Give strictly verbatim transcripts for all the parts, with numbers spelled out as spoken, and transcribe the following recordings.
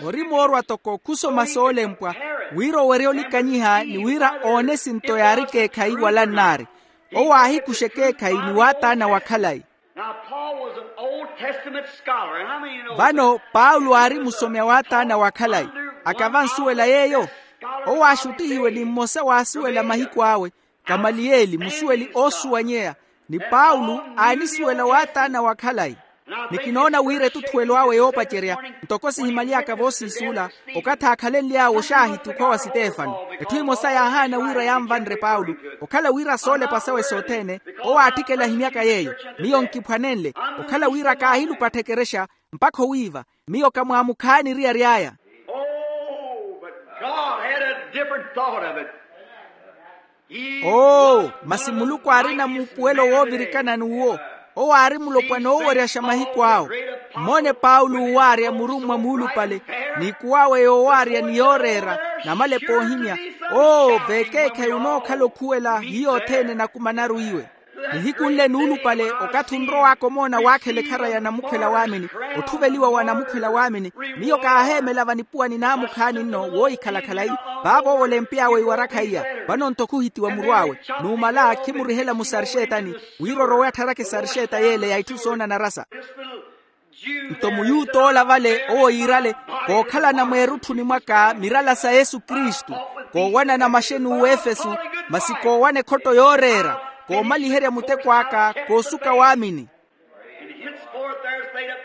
Ori moorwa toko khusoma soolempwa wira owerya olikanyiha ni wira oone esinto yaari ekeekhayi wala nnaari. Owo aahikuxa ekeekhayi ni waataana wa khalayi. Vano paulo aari musomi a waataana wa khalayi. Akavansuwela yeeyo. Owo aaxuttihiwe ni mmosa waasuwela mahiku awe, kamaliyeli musuweli oosuwanyeya. Ni paulo aanisuwela waataana wa khalayi. Ni kinoona wira etutthuwelo awe yoopacerya, ntoko sihimaly'aka voosiisuula, okathi aakhalenly'awe oxaahiti okhwa wa sitefano. Etthu emosa yaahaana wira yanvanre paulo, okhala wira soolepa sawe sothene. Owo aatthikela ahimyaka yeeyo. Miyo nkiphwanenle. Okhala wira kaahilupattheke erexa, mpakha owiiva. Miyo kamwaamukhaani eriyari aya. Oh, but God had a different thought of it. Oo, masi muluku aarina muupuwelo woovirikana n'uwo. Owo aari mulopwana ooweryaxa mahiku awo. Mmoone paulo owaarya murummwa muulupale, n'ikuwawe yoowaarya ni yooreera, namalepa oohimya. Oo, vekeekhayi onookhala okhuwela hiyo othene enakumanaru iwe. Nihiku nle nuulupale, okathi onrow'aka omoona waakhela ekhara ya namukhwela waamini, otthuveliwa wa namukhwela waamini, miyo kaaheemela vanipuwa ni naamukhaani nno woohikhala khalayi. Vaavo owo olempy'awe iwarakha iya. Vano nto khuhitiwa muru awe. Numala khimurihela musarixetani, wira orowe attharake sarixeta yeele ya itthu soona narasa. Nto muyut'ola vale owo yiirale, kookhalana mweerutthuni mwaka mirala sa yesu kristu, koowanana maxeni uwefesu, masi koowana ekhotto yooreera, koomaliherya muteko aka koosuka waamini.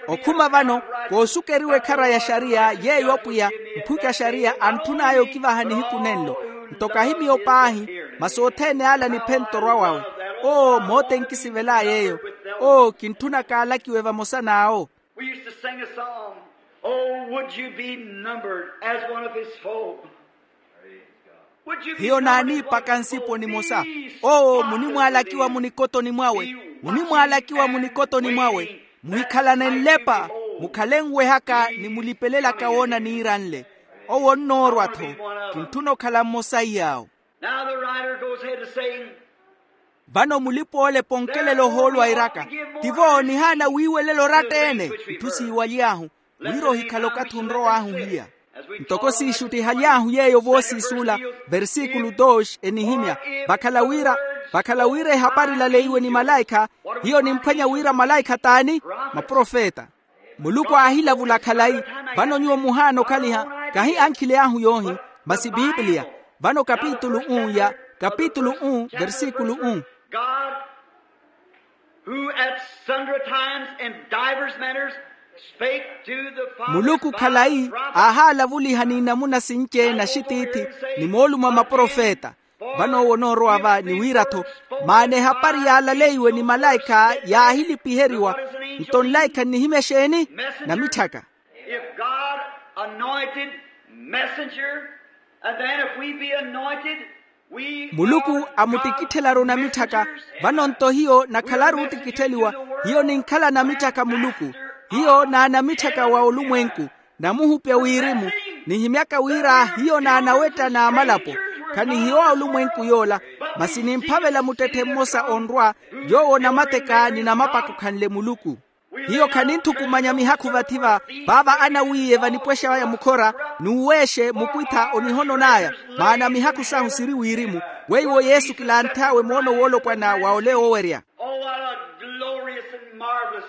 Okhuma vano, koosukeriwa ekhara ya xariya yeeyo apwiya, mphuki a xariya antthun'aya okivaha nihiku nenlo. Nto kahi miyo paahi, masi othene ala niphenta orwa wawe. Oo moote nkisivel'aya eyo. Oo kintthuna kaalakiwe vamosa n'awo. We used to sing a song, oh would you be numbered as one of his foe. Hiyo naaniipaka nsipo nimosa. Oo munimwaalakiwa munikotoni mwawe. Munimwaalakiwa munikotoni mwawe. Muhikhalane nlepa, mukhale nwehaka ni mulipelelaka woona niiranle. Owo nnoorwa-tho. Kintthuna okhala mmosa iy'awo. Now the writer goes ahead to say, vano mulipa-ole ponkelela ohoolo airaka, tivo nihaana wiiwelela oratta-ene. Itthu siiwaly'ahu wira ohikhala okathi onrow'ahu hiya. Ntoko siixuttihaly'ahu yeeyo voosiisuula, versikulu dos enihimya, vakhala wira, vakhala wira ehapari ilaleiwe ni malaikha. Hiyo nimphwanya wira malaikha t'ani? Maprofeta. Muluku aahilavula khalayi. Vano nyuwo muhaana okhaliha, kahi ankhile ahu yoohi, masi pipiliya. Vano kapitulu un ya, kapitulu un versikulu un. God, who at sundry times and divers manners spake to the fathers. Muluku khalayi, aahalavuliha n'inamuna sinci na axitiithi, ni moolumo a maprofeta. Vano owo onoorowa va ni wira-tho, maana ehapari yaalaleiwe ni malaikha yaahilipiheriwa. Nto nlaikha nnihimya exeeni? Namitthaka. If God anointed messenger, and then if we be anointed, we muluku are amuttikitthelaru namitthaka. Vano nto hiyo nakhalaru oottikittheliwa. Hiyo ninkhala namitthaka muluku. Hiyo naanamitthaka wa olumwenku. Namuhupya wirimu, nihimyaka wira hiyo naanawetta n'amalapo. Khanihiyo a olumwenku yoola, masi nimphavela muttetthe mmosa onrwa, yoowo namateka ni namapaka okhanle muluku. Hiyo khaninthukumanya mihakhu vathi-va, vaava anawiiye vanipwexa aya mukhora, n'uweexe mukwitha onihonon'aya. Maana mihakhu sahu siri wirimu. Weiwo yesu kilantth'awe moono woolopwana wa ole oowerya. Oh what a glorious and marvelous.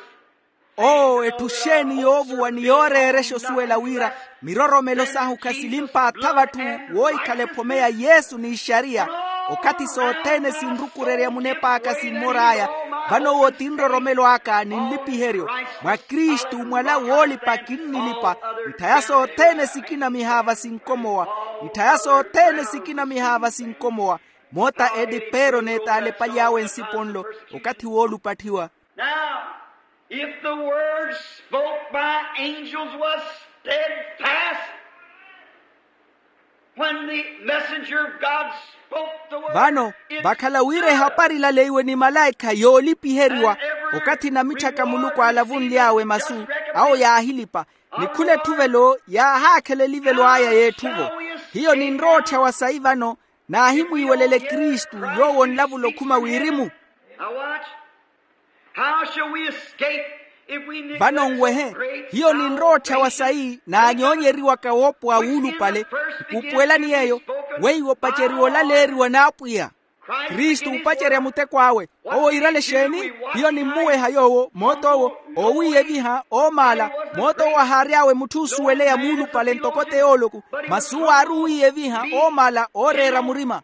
Oo etthu xeeni yoovuwa ni yooreerexa osuwela wira miroromelo sahu khasilimpaatha vatthu woohikhala ephome ya yesu n'ixariya. Okathi sothene sinrukurerya munep'aka simmor'aya. Vano owo ti nroromelo aka ni nlipiheryo mwa kristu mwala woolipa kinnilipa. Itthaya sothene sikinamiha vasinkomowa. Itthaya sothene sikinamiha vasinkomowa. Moota edipero n'etaalepaly'awe nsipo nlo okathi woolupatthiwa. Now if the word spoke by angels was steadfast, when the messenger of God spoke the word. Vano vakhala wira ehapari ilaleiwe ni malaikha yoolipiheriwa, okathi namitthaka muluku aalavunly'awe masu, awo yaahilipa. Ni khula etthuvelo yaahakhela elivelo aya y'etthuvo. Hiyo ninrowa otthyawa sayi vano, naahimwiiwelele kristu yoowo onlavula okhuma wirimu. Now watch. How shall we escape Vano nwehe, hiyo ninrowa otthawa sayi naanyoonyeriwaka woopowa wuulupale. Nkuupuwelani yeeyo weiwo opaceriwa olaleeriwa n'apwiya. Kristu opacerya muteko awe. Owo iirale exeeni? Hiyo nimmuweha yoowo moot'owo, oowiiyeviha oomaala. Moot'owo ahaary'awe mutthu oosuweleya muulupale ntoko t'eyooloku. Masi owo aari owiiyeviha oomaala ooreera murima.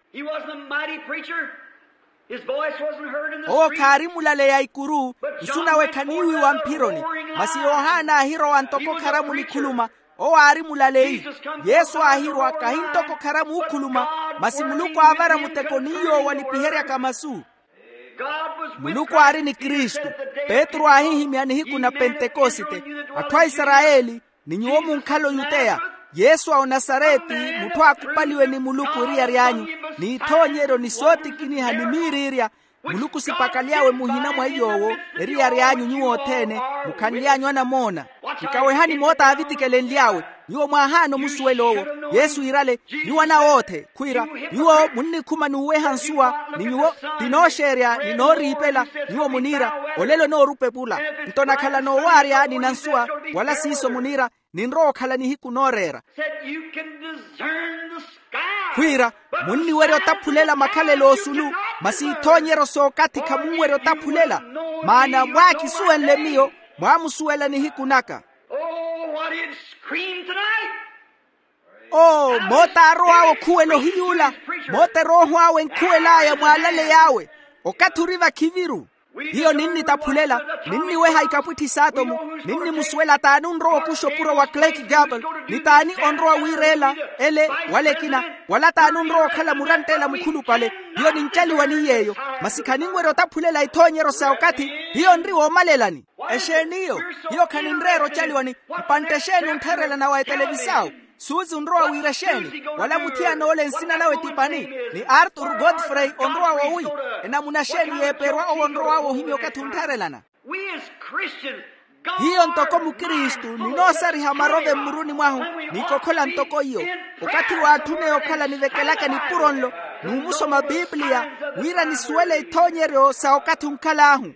Owo khaari mulaleya ikuru. Nsu nawe khaniiwiwa mphironi. Masi yohana aahirowa ntoko kharamu nikhuluma. Owo aari mulaleyi. Yesu aahirwa kahi ntoko kharamu ookhuluma, masi muluku aavara muteko ni yoowo alipiheryaka masu. Muluku aari ni kristu. Petru aahihimya nihiku na pentekosite. Atthu a isarayeli, ni nyuwo munkhala oyuteya. Yesu a onasareti, mutthu aakhupaliwe ni muluku eriyari anyu, n'ithoonyeryo ni sootikiniha ni miiriirya. Muluku sipakaly'awe muhina mwa iy'owo. Eriyari anyu nyuwo othene, mukhanly'anyu anamoona. Nkawehani moota aavitikelenly'awe. Nyuwo mwaahaana omusuwela owo. Yesu iirale, nyuwo anawoothe khwiira, nyuwo munnikhuma n'uweha nsuwa, ni nyuwo ti nooxeerya ni nooriipela. Nyuwo muniira, olelo noorupa epula. Nto nakhala noowaarya ni nansuwa, wala siiso muniira, ninrowa okhala nihiku nooreera. Khwiira, munniwerya otaphulela makhalelo osulu, masi ithoonyeryo s'okathi khamunwerya otaphulela. Maana mwaakisuwenle miyo, mwaamusuwela nihiku naka. Oo moota arow'awe okhuwela ohiyuula. Moota erooho awe enkhuwel'aya mwaalaleyi awe. Okathi ori vakhiviru. Hiyo ninnitaphulela, ninniweha ikapwitthi s'atomu. Ninnimusuwela t'ani onrowa okuxa opuro wa clark gable, ni t'ani onrowa wiireela ele wala ekina, wala t'ani onrowa okhala muranttela mukhulupale. Hiyo nincaliwa ni yeeyo. Masi khaninwerya otaphulela ithoonyeryo sa okathi. Hiyo nri woomalelani. Exeeni iyo? Hiyo khaninreera ocaliwani. Mpantte exeeni onttherelana wa etelevisawu? Suuzi onrowa wiira exeeni? Wala muthiyana ole nsina nawe ti pani? Ni arthur godfrey onrowa wowi? Enamuna exeeni yeeperwa owo onrow'awe ohimya okathi onttherelana? Hiyo ntoko mukristu ninoosariha marove mmuruni mwahu, nikokhola ntoko iyo. Okathi waatthuna okhala nivekelaka nipuro nlo, n'umusoma pipiliya, wira nisuwele ithoonyeryo sa okathi onkhal'ahu.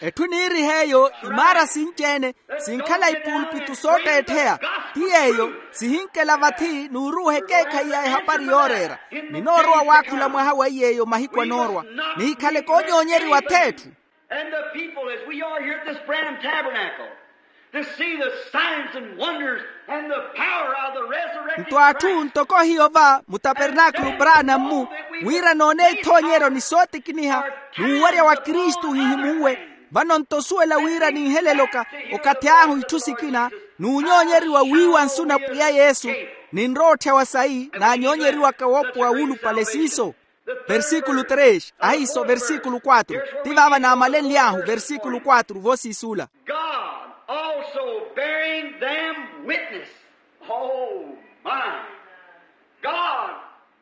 Etthu niiriha eyo imaara sinci-ene, sinkhala ipulpitu sootteettheya. Ti yeeyo, sihinkela vathi n'uruuha ekeekhayi ya ehapari yooreera. Ninoorowa waakhula mwaha wa iy'eyo mahiku anoorwa, nihikhale koonyoonyeriwa ath'etthu. And the people as we are here at this branham tabernacle, to see the signs and wonders and the power of the resurrected nto atthu ntoko hiyo va mutapernaakulu branham-mu, wira noone ithoonyeryo ni sootikiniha, n'uwerya wa kristu ohihimuuwe. Vano nto osuwela wira ninheleloka okathi ahu itthu sikina, n'unyoonyeriwa wiiwa nsu na pwiya yesu, ninrowa otthyawa sayi naanyoonyeriwaka woopowa wuulupale siiso. Versíkulu tres ahiiso versíkulu quatro. Ti vaava naamalenly'ahu versíkulu quatro voosiisuula. God also bearing them witness. Oh my. God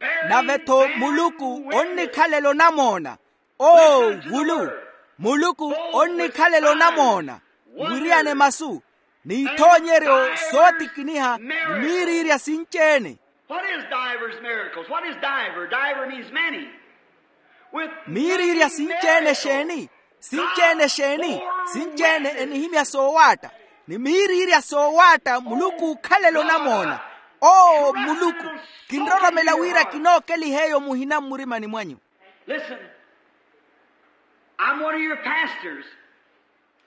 bearing nave-tho them muluku onnikhalela onamoona. Oo vulu. Muluku onnikhalela onamoona, mwiriyane masu, n'ithoonyeryo sootikiniha ni miiriirya sinci-ene. What is divers miracles? What is diver? Diver means many. Miiriirya sinci-ene exeeni? Sinci-ene exeeni? Sinci-ene enihimya soowaatta. Ni miiriirya soowaatta muluku ookhalela onamoona. Oo muluku, kinroromela wira kinookeliha eyo muhina mmurimani mwanyu. Listen. I'm one of your pastors.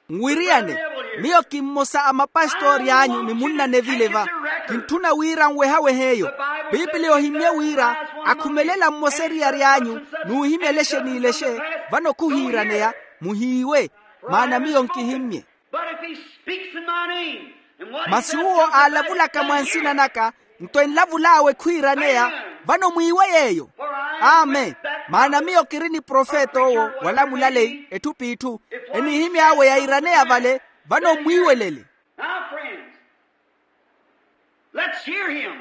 Nwiriyane, miyo ki mmosa a mapastoori anyu ni munna nevile va. Kintthuna wira nwehawehe eyo. Piipiliya ohimmye wira akhumelela mmosa eriyari anyu n'uhimya elexe n'elexe. Vano khuhiiraneya, muhiiwe, maana miyo nkihimmye. Masi uwo aalavulaka mwa nsina naka, nto enlavul'awe khwiiraneya. Vano mwiiwe yeeyo. Amen. Maana miyo kiri ni profeta owo wala mulaleyi etthu p'itthu. Enihimy'awe yaiiraneya vale. Vano mmwiiwelele. Now friends, let's hear him.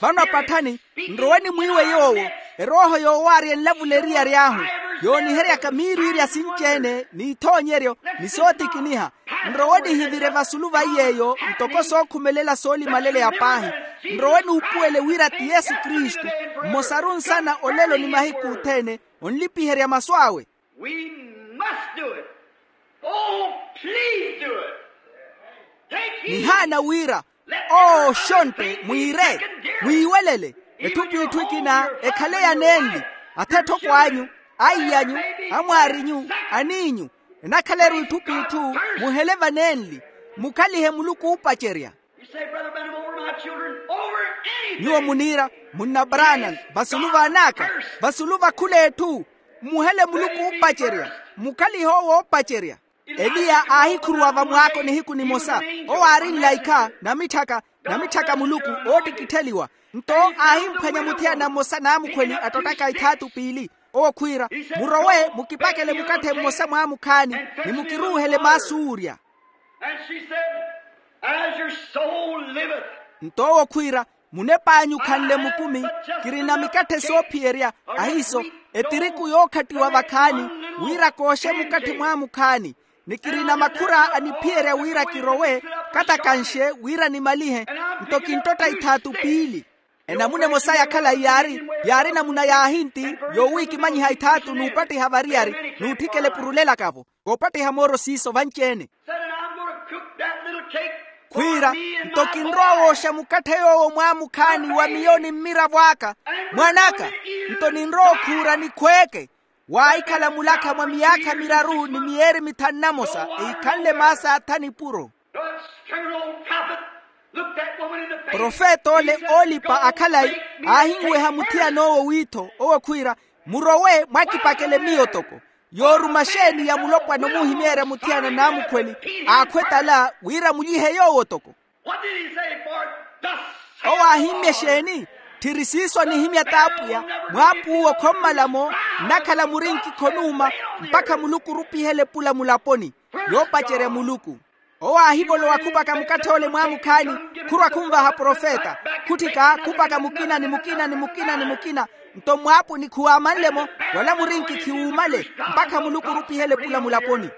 Vano apatthani, nrowe nimwiiwe yoowo. Erooho yoowaarya enlavula eriyari ahu, yooniheryaka miiriirya sinci-ene n'ithoonyeryo ni sootikiniha. Nrowe nihivire vasulu va iy'eyo ntoko sookhumelela soolimalelela paahi. Nrowe nuupuwele wira ti yesu kristu, mmosaru nsana olelo ni mahiku othene, onlipiherya masu awe. Do it. Oh, please do it. Nihaana wira, owo oxontte mwiire, mwiiwelele. Etthu p'itthu ekina ekhale ya nenli, atha etthoko anyu, aiy'anyu, amwaarinyu, aniinyu, enakhaleru itthu p'itthu. Muhele va nenli, mukhalihe muluku oopacerya. Nyuwo muniira, munna branham, vasulu vaan'aka, vasulu va khul'etthu, muhele muluku oopacerya, mukhalihe owo oopacerya. Eliya aahikhuruwa vamwaako nihiku nimosa, owo aari nlaikha namitthaka, namitthaka muluku, oottikittheliwa. Nto aahimphwanya muthiyana mmosa n'amukhweli attottaka ithaatu piili, owo khwiira, murowe mukipakele mukatthe mmosa mwaamukhaani, ni mukiruuhele maasuurya. And she said, as your soul liveth. Nto owo khwiira, munep'anyu khanle mukumi, kirina mikatthe soophiyerya, ahiiso, etiriku yookhattiwa vakhaani, wira kooxe mukatthe mwaamukhaani, ni kirina makhura aniphiyerya wira kirowe, katakanxe wira nimalihe. Nto kinttotta ithaatu piili. Enamuna emosa ya khalayi yaari, yaari namuna ya ahinti, yoowiikimanyiha ithaatu n'upattiha variyari, n'utthikela epurulelaka-vo, koopattiha mooro siiso vanci-ene. Khwiira, nto kinrowa wooxa mukatthe yoowo mwaamukhaani wa miyo ni mmiravo aka, mwan'aka, nto ninrowa okhuura nikhweeke, waahikhala mulakha mwa miyaakha miraru ni miyeeri mithanu na mosa, eikhanle maasa atha nipuro. Profeta ole oolipa akhalayi aahinweha muthiyan'owo wiitho, owo khwiira, murowe mwakipakele miyo toko. Yooruma xeeni ya mulopwana omuhimeerya muthiyan'amukhweli, aakhwetala wira mulyihe yoowo toko. Owo aahimmye xeeni? Tthiri siiso anihimya t'apwiya, mwaapuuwo khommala-mo, nnakhala murinki khonuuma, mpakha muluku orupihela epula mulaponi, yoopacerya muluku. Owo aahivolowa khupaka mukatthe ole mwaamukhaani, khurwa khunvaha profeta, khutthika khupaka mukina ni mukina ni mukina ni mukina. Nto mmwaapuni khuwaamanle-mo, wala murinki khiwuumale, mpakha muluku orupihela epula mulaponi.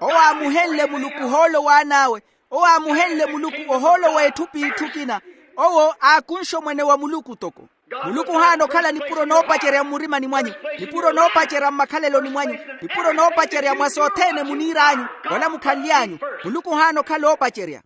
Owo aamuhenle muluku ohoolo w'an'awe. Owo aamuhenle muluku ohoolo w'etthu p'itthu ekina. Owo aakunxe omwene wa muluku toko. Muluku ohaana okhala nipuro noopacerya mmurimani mwanyu, nipuro noopacerya mmakhaleloni mwanyu, nipuro noopacerya mwa sothene muniir'anyu, wala mukhanly'anyu. Muluku ohaana okhala oopacerya.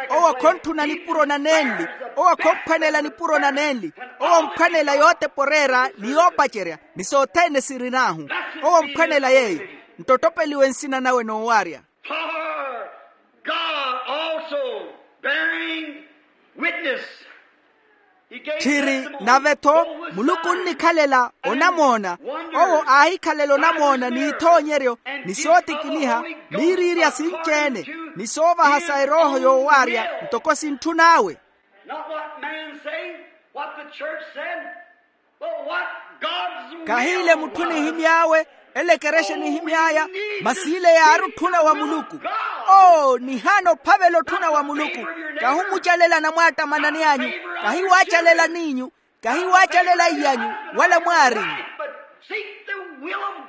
Owo khontthuna nipuro na nenli. Owo khomphwanela nipuro na nenli. Owo omphwanela yootepa oreera ni yoopacerya, ni sothene sirin'ahu. Owo omphwanela yeeyo. Nto ottopeliwe nsina nawe noowarya. For God also bearing witness. Tthiri nave-tho, muluku onnikhalela onamoona. Owo aahikhalela onamoona n'ithoonyeryo, ni sootikiniha, miiriirya sinci-ene, ni soovaha sa erooho yoowarya ntoko sintthun'awe. Not what man say, what the church said. Kahiile mutthu nihimy'awe, ele ekerexa enihimy'aya, masi ile yaari otthuna wa muluku. Oo, nihaana ophavela otthuna wa muluku. Kahumucalela anamwaattamanani anyu, kahiwaacalela n'inyu, kahiwaacalela iy'anyu, wala mwaarinyu.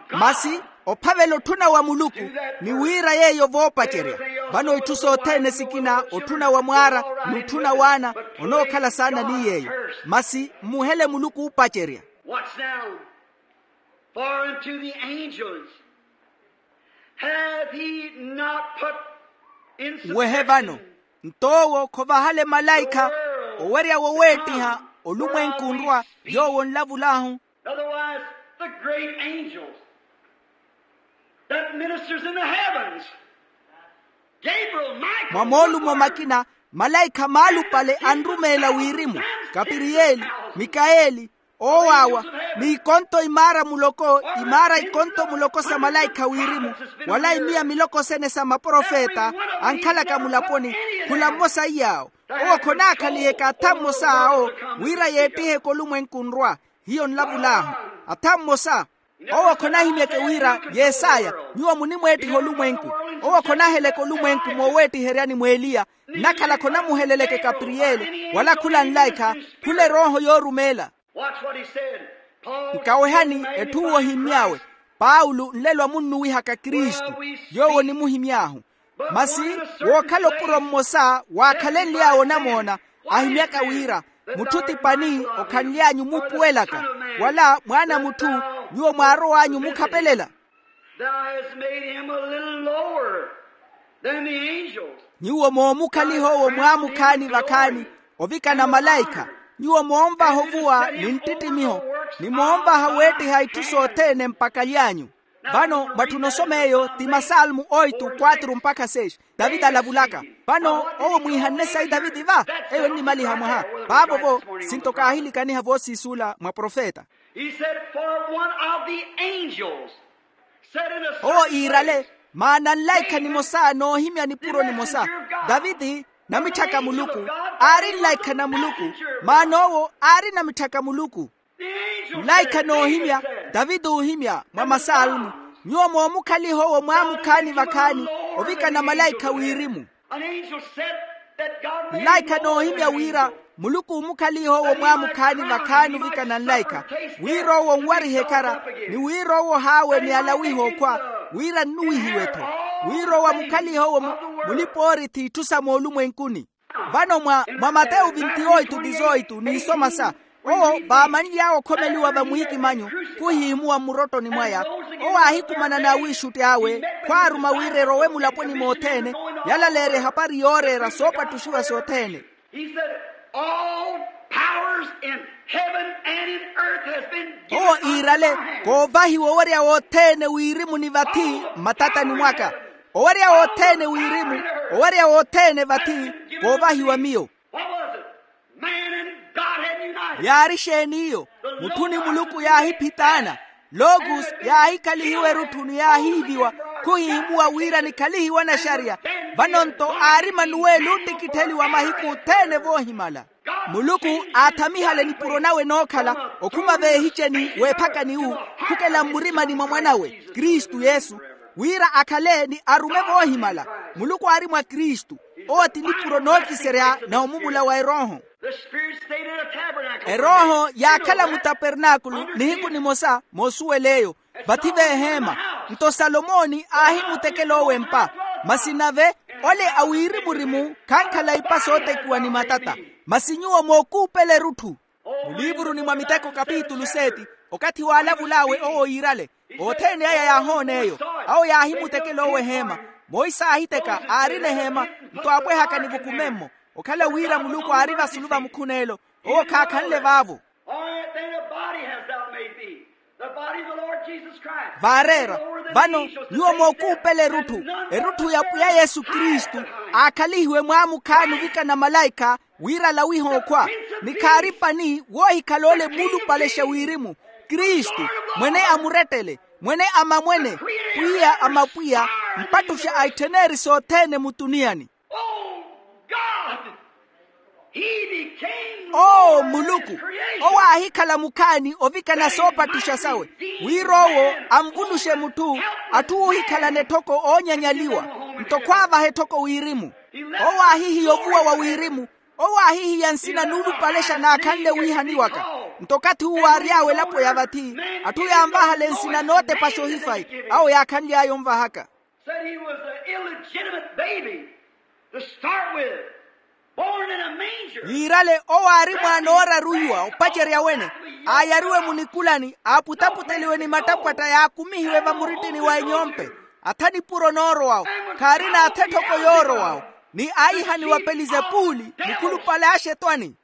Masi ophavela otthuna wa muluku, ni wiira yeeyo voopacerya. Vano itthu sothene sikina, otthuna wa mwaara, n'utthuna w'ana, onookhala saana ni yeeyo. Masi mmuhele muluku oopacerya. Watch now. For unto the angels hath he not put in subjection. Wehe vano, nto owo khovahale malaikha owerya woweettiha olumwenku nrwa, yoowo nlavulahu. Otherwise, the great angels that ministers in the heavens, Gabriel, Michael, mwa moolumo makina, malaikha maalupale anrumeela wirimu, kapiriyeeli, mikayeeli, oowaawa, ni ikonto imaara muloko, imaara ikonto muloko sa malaikha wirimu, wala imiya miloko sene sa maprofeta ankhalaka mulaponi, khula mmosa iy'awo. Owo khonaakhaliheka atha mmosa awo, wira yeettiheke olumwenku nrwa. Hiyo nlavul'ahu. Atha mmosa. Owo khonahimyeke wira, Yesaya, nyuwo munimweettiha olumwenku. Owo khonaheleke olumwenku mooweettiheryani mw'eliya, nnakhala khonamuheleleke kapiriyeli, wala khula nlaikha, khula erooho yoorumeela. Nkawehani etthu uwo ohimmy'awe. Paulo nlelo amunnuwihaka kristu, yoowo onimuhimy'ahu. Masi, wookhala opuro mmosa waakhalenly'awe onamoona, ahimyaka wira, Mutthu ti pani okhanly'anyu muupuwelaka, wala mwaana a mutthu nyuwo mwaarow'anyu omukhapelela. Thou hast made him a little lower than the angels. Nyuwo moomukhaliha owo mwaamukhaani vakhaani, ovikana malaikha. Nyuwo moonvaha ovuwa ni nttittimiho, ni moonvaha weettiha itthu sothene mpakhaly'anyu. Vano mwatthuna osoma eyo ti masalmu oitu kwatru mpakha seis. Taviti alavulaka. Vano owo mwiihanne sayi taviti va? Eyo ennimaliha mwaha. Vaavo-vo sinto kaahilikaniha voosiisuula mwa profeta. He said, for one of the angels said in a certain place. Owo iirale, maana nlaikha nimosa noohimya nipuro nimosa. Taviti, namitthaka muluku, aari nlaikha na muluku. Maana owo aari namitthaka muluku. Nlaikha noohimya, taviti oohimya mwa masalmu, nyuwo moomukhaliha owo mwaamukhaani vakhaani, ovikana malaikha wirimu. Nlaikha noohimya wira muluku oomukhaliha owo mwaamukhaani vakhaani ovikana nlaikha, wira owo onwarihe ekhara, ni wira owo ohaawe ni alawihe okhwa, wira nnuwihiwe-tho, wira owo amukhalihe owo mulipa-oorithi itthu sa moolumwenkuni. Vano mwa mateyu vinti oitu dizoitu ninsomasa, owo vaamanly'awe okhomeliwa vamwiikimanyu, khuhihimuwa mmurottoni mwaya. Owo aahikumana n'awiixutti awe, khwaaruma wira erowe mulaponi mothene, yalaleerya ehapari yooreera soopattuxiwa sothene. He said, all powers in heaven and in earth has been given unto my hand. Owo iirale, koovahiwa owerya wothene wirimu ni vathi mmatatani mwaka. Owerya wothene wirimu, owerya wothene vathi, koovahiwa miyo. What was it? Man and God had united. Yaari exeeni iyo? Mutthu ni muluku yaahiphitaana. Logos yaahikhalihiwa erutthu ni yaahiiviwa, khuhihimuwa wira nikhalihiwe anaxariya. Vano-nto aari emanuweli oottikittheliwa mahiku othene voohimala. Muluku aathamihala nipuro nawe nookhala okhuma veehiceni weephakani wu, khukela mmurimani mwa mwan'awe kristu yesu, wira akhale ni arume voohimala. Muluku aari mwa kristu. Owo ti nipuro nookiserya na omumula wa erooho. Erooho yaakhala mutapernaakulu nihiku nimosa moosuwela eyo, vathi veeheema. Nto salomoni aahimutekela owo empa. Masi nave ole a wirimu-rimu khankhala ipa sootekiwa ni matata. Masi nyuwo mookuupela erutthu. Muliivuruni mwa miteko kapitulu seti, okathi waalavul'awe owo iirale, othene aya yaahoona eyo. Awo yaahimutekela owo eheema. Monse aahiteka aarina eheema, nto aapwehaka ni vukumemmo. Okhala wira muluku aari vasulu va mukhuneelo, owo khaakhanle vaavo. All right, then a body hast thou made me, the body of the Lord Jesus Christ. Vaareera. Vano nyuwo mookuupela erutthu, erutthu ya pwiya yesu kristu, aakhalihiwe mwaamukhaani ovikana malaikha, wira alawihe okhwa, ni khaari pani woohikhala ole muulupalexa wirimu, kristu, mwene a murettele, mwene a mamwene, pwiya a mapwiya, mpattuxa a ittheneri sothene mutuniyani. Oh, God, he became owo muluku, owo aahikhala mukhaani ovikana soopattuxa sawe, wira owo anvuluxe mutthu, atthu oohikhalana etthoko oonyanyaliwa, nto khwaavaha etthoko wirimu. Owo aahihiya ovuwa wa wirimu. Owo aahihiya nsina nuulupalexa naakhanle wiihaniwaka. Nto okathi uwo aary'awe elapo ya vathi, atthu yaanvahala ensina nootepaxa ohifayi, awo yaakhanly'aya onvahaka. Said he was an illegitimate baby to start with, born in a manger. Yiirale owo aari mwaana ooraruiwa opacerya wene, aayariwe munikulani, aaputaputeliwe ni mattapwatta yaakumihiwe vamuritini wa enyompe. Atha nipuro noorowawo, khaarina atha etthoko yoorowawo, ni aayihaniwa pelizepuli, mukhulupale a axetwani.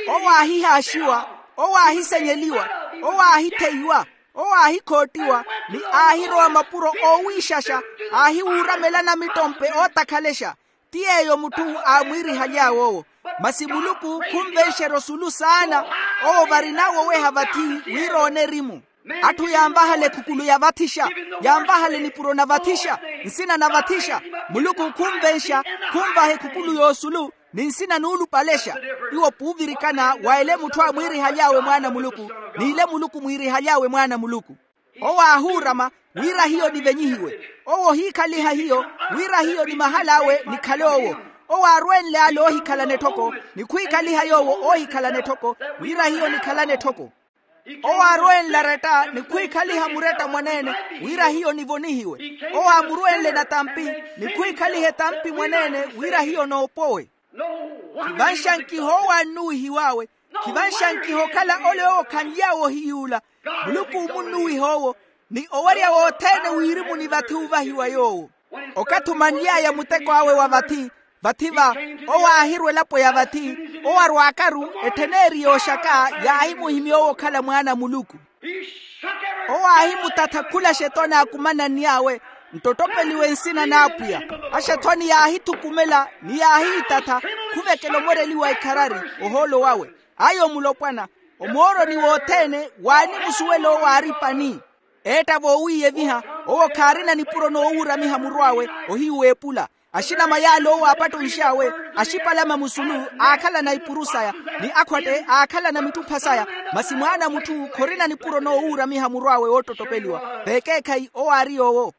Owo aahihaaxiwa, owo aahisenyeliwa, owo aahitheiwa, owo aahikhoottiwa, ni aahirowa mapuro oowiixaxa, aahiwuuramela namittompe ootakhalexa. Ti yeeyo mutthu aamwiirihaly'awe owo. Masi muluku khunvenxerya osulu saana. Owo varin'awe oweha vathi, wira oone erimu. Atthu yaanvahala ekhukulu ya vathixa, yaanvahala enipuro na vathixa, nsina na vathixa. Muluku khunvenxa, khunvaha ekhukulu y'osulu, ni nsina nuulupalexa. Iwo puuvirikana wa ele mutthu aamwiirihaly'awe mwaana a muluku, n'ile muluku mwiirihaly'awe mwaana a muluku. Owo aahuurama, wira hiyo nivenyihiwe. Owo ohiikhaliha hiyo, wira hiyo ni mahal'awe nikhale owo. Owo aarwenle ale oohikhalana etthoko, ni khwiikhaliha yoowo oohikhalana etthoko, wira hiyo nikhalane etthoko. Owo aarwenle aretta ni khwiikhaliha muretta mwaneene, wira hiyo nivonihiwe. Owo aamurwenle natampi, ni khwiikhaliha etampi mwaneene, wira hiyo noopowe. Khivanxankiha owo annuwihiw'awe. Khivanxankiha okhala ole owo khanly'awe ohiyuula. Muluku omunnuwiha owo, ni owerya wothene w'irimu ni vathi ovahiwa yoowo. Okathi omanly'aya muteko awe wa vathi, vathi va, owo aahirwa elapo ya vathi, owo arwaakaru, ettheneeri yooxaka, yaahimuhimya owo okhala mwaana a muluku. Owo aahimutatha khula axethoni akumananny'awe, nttottopeliwe nsina n'apwiya. Axethoni yaahithukumela ni yaahiitatha, khuvekela omoreliwa ikharari, ohoolo wawe. Ayo mulopwana, omooroni wothene waanimusuwela owo aari pani. Eetta voowiiyeviha, owo khaarina nipuro noowuuramiha muru awe, ohiyu w'epula. Axinama yaale owo aapattonx'awe, axipalama musulu, aakhalana ipuru saya, ni akhwatte aakhalana mitthupha saya. Masi mwaana a mutthu khorina nipuro noowuuramiha muru awe woottottopeliwa. Vekeekhayi owo aari yoowo.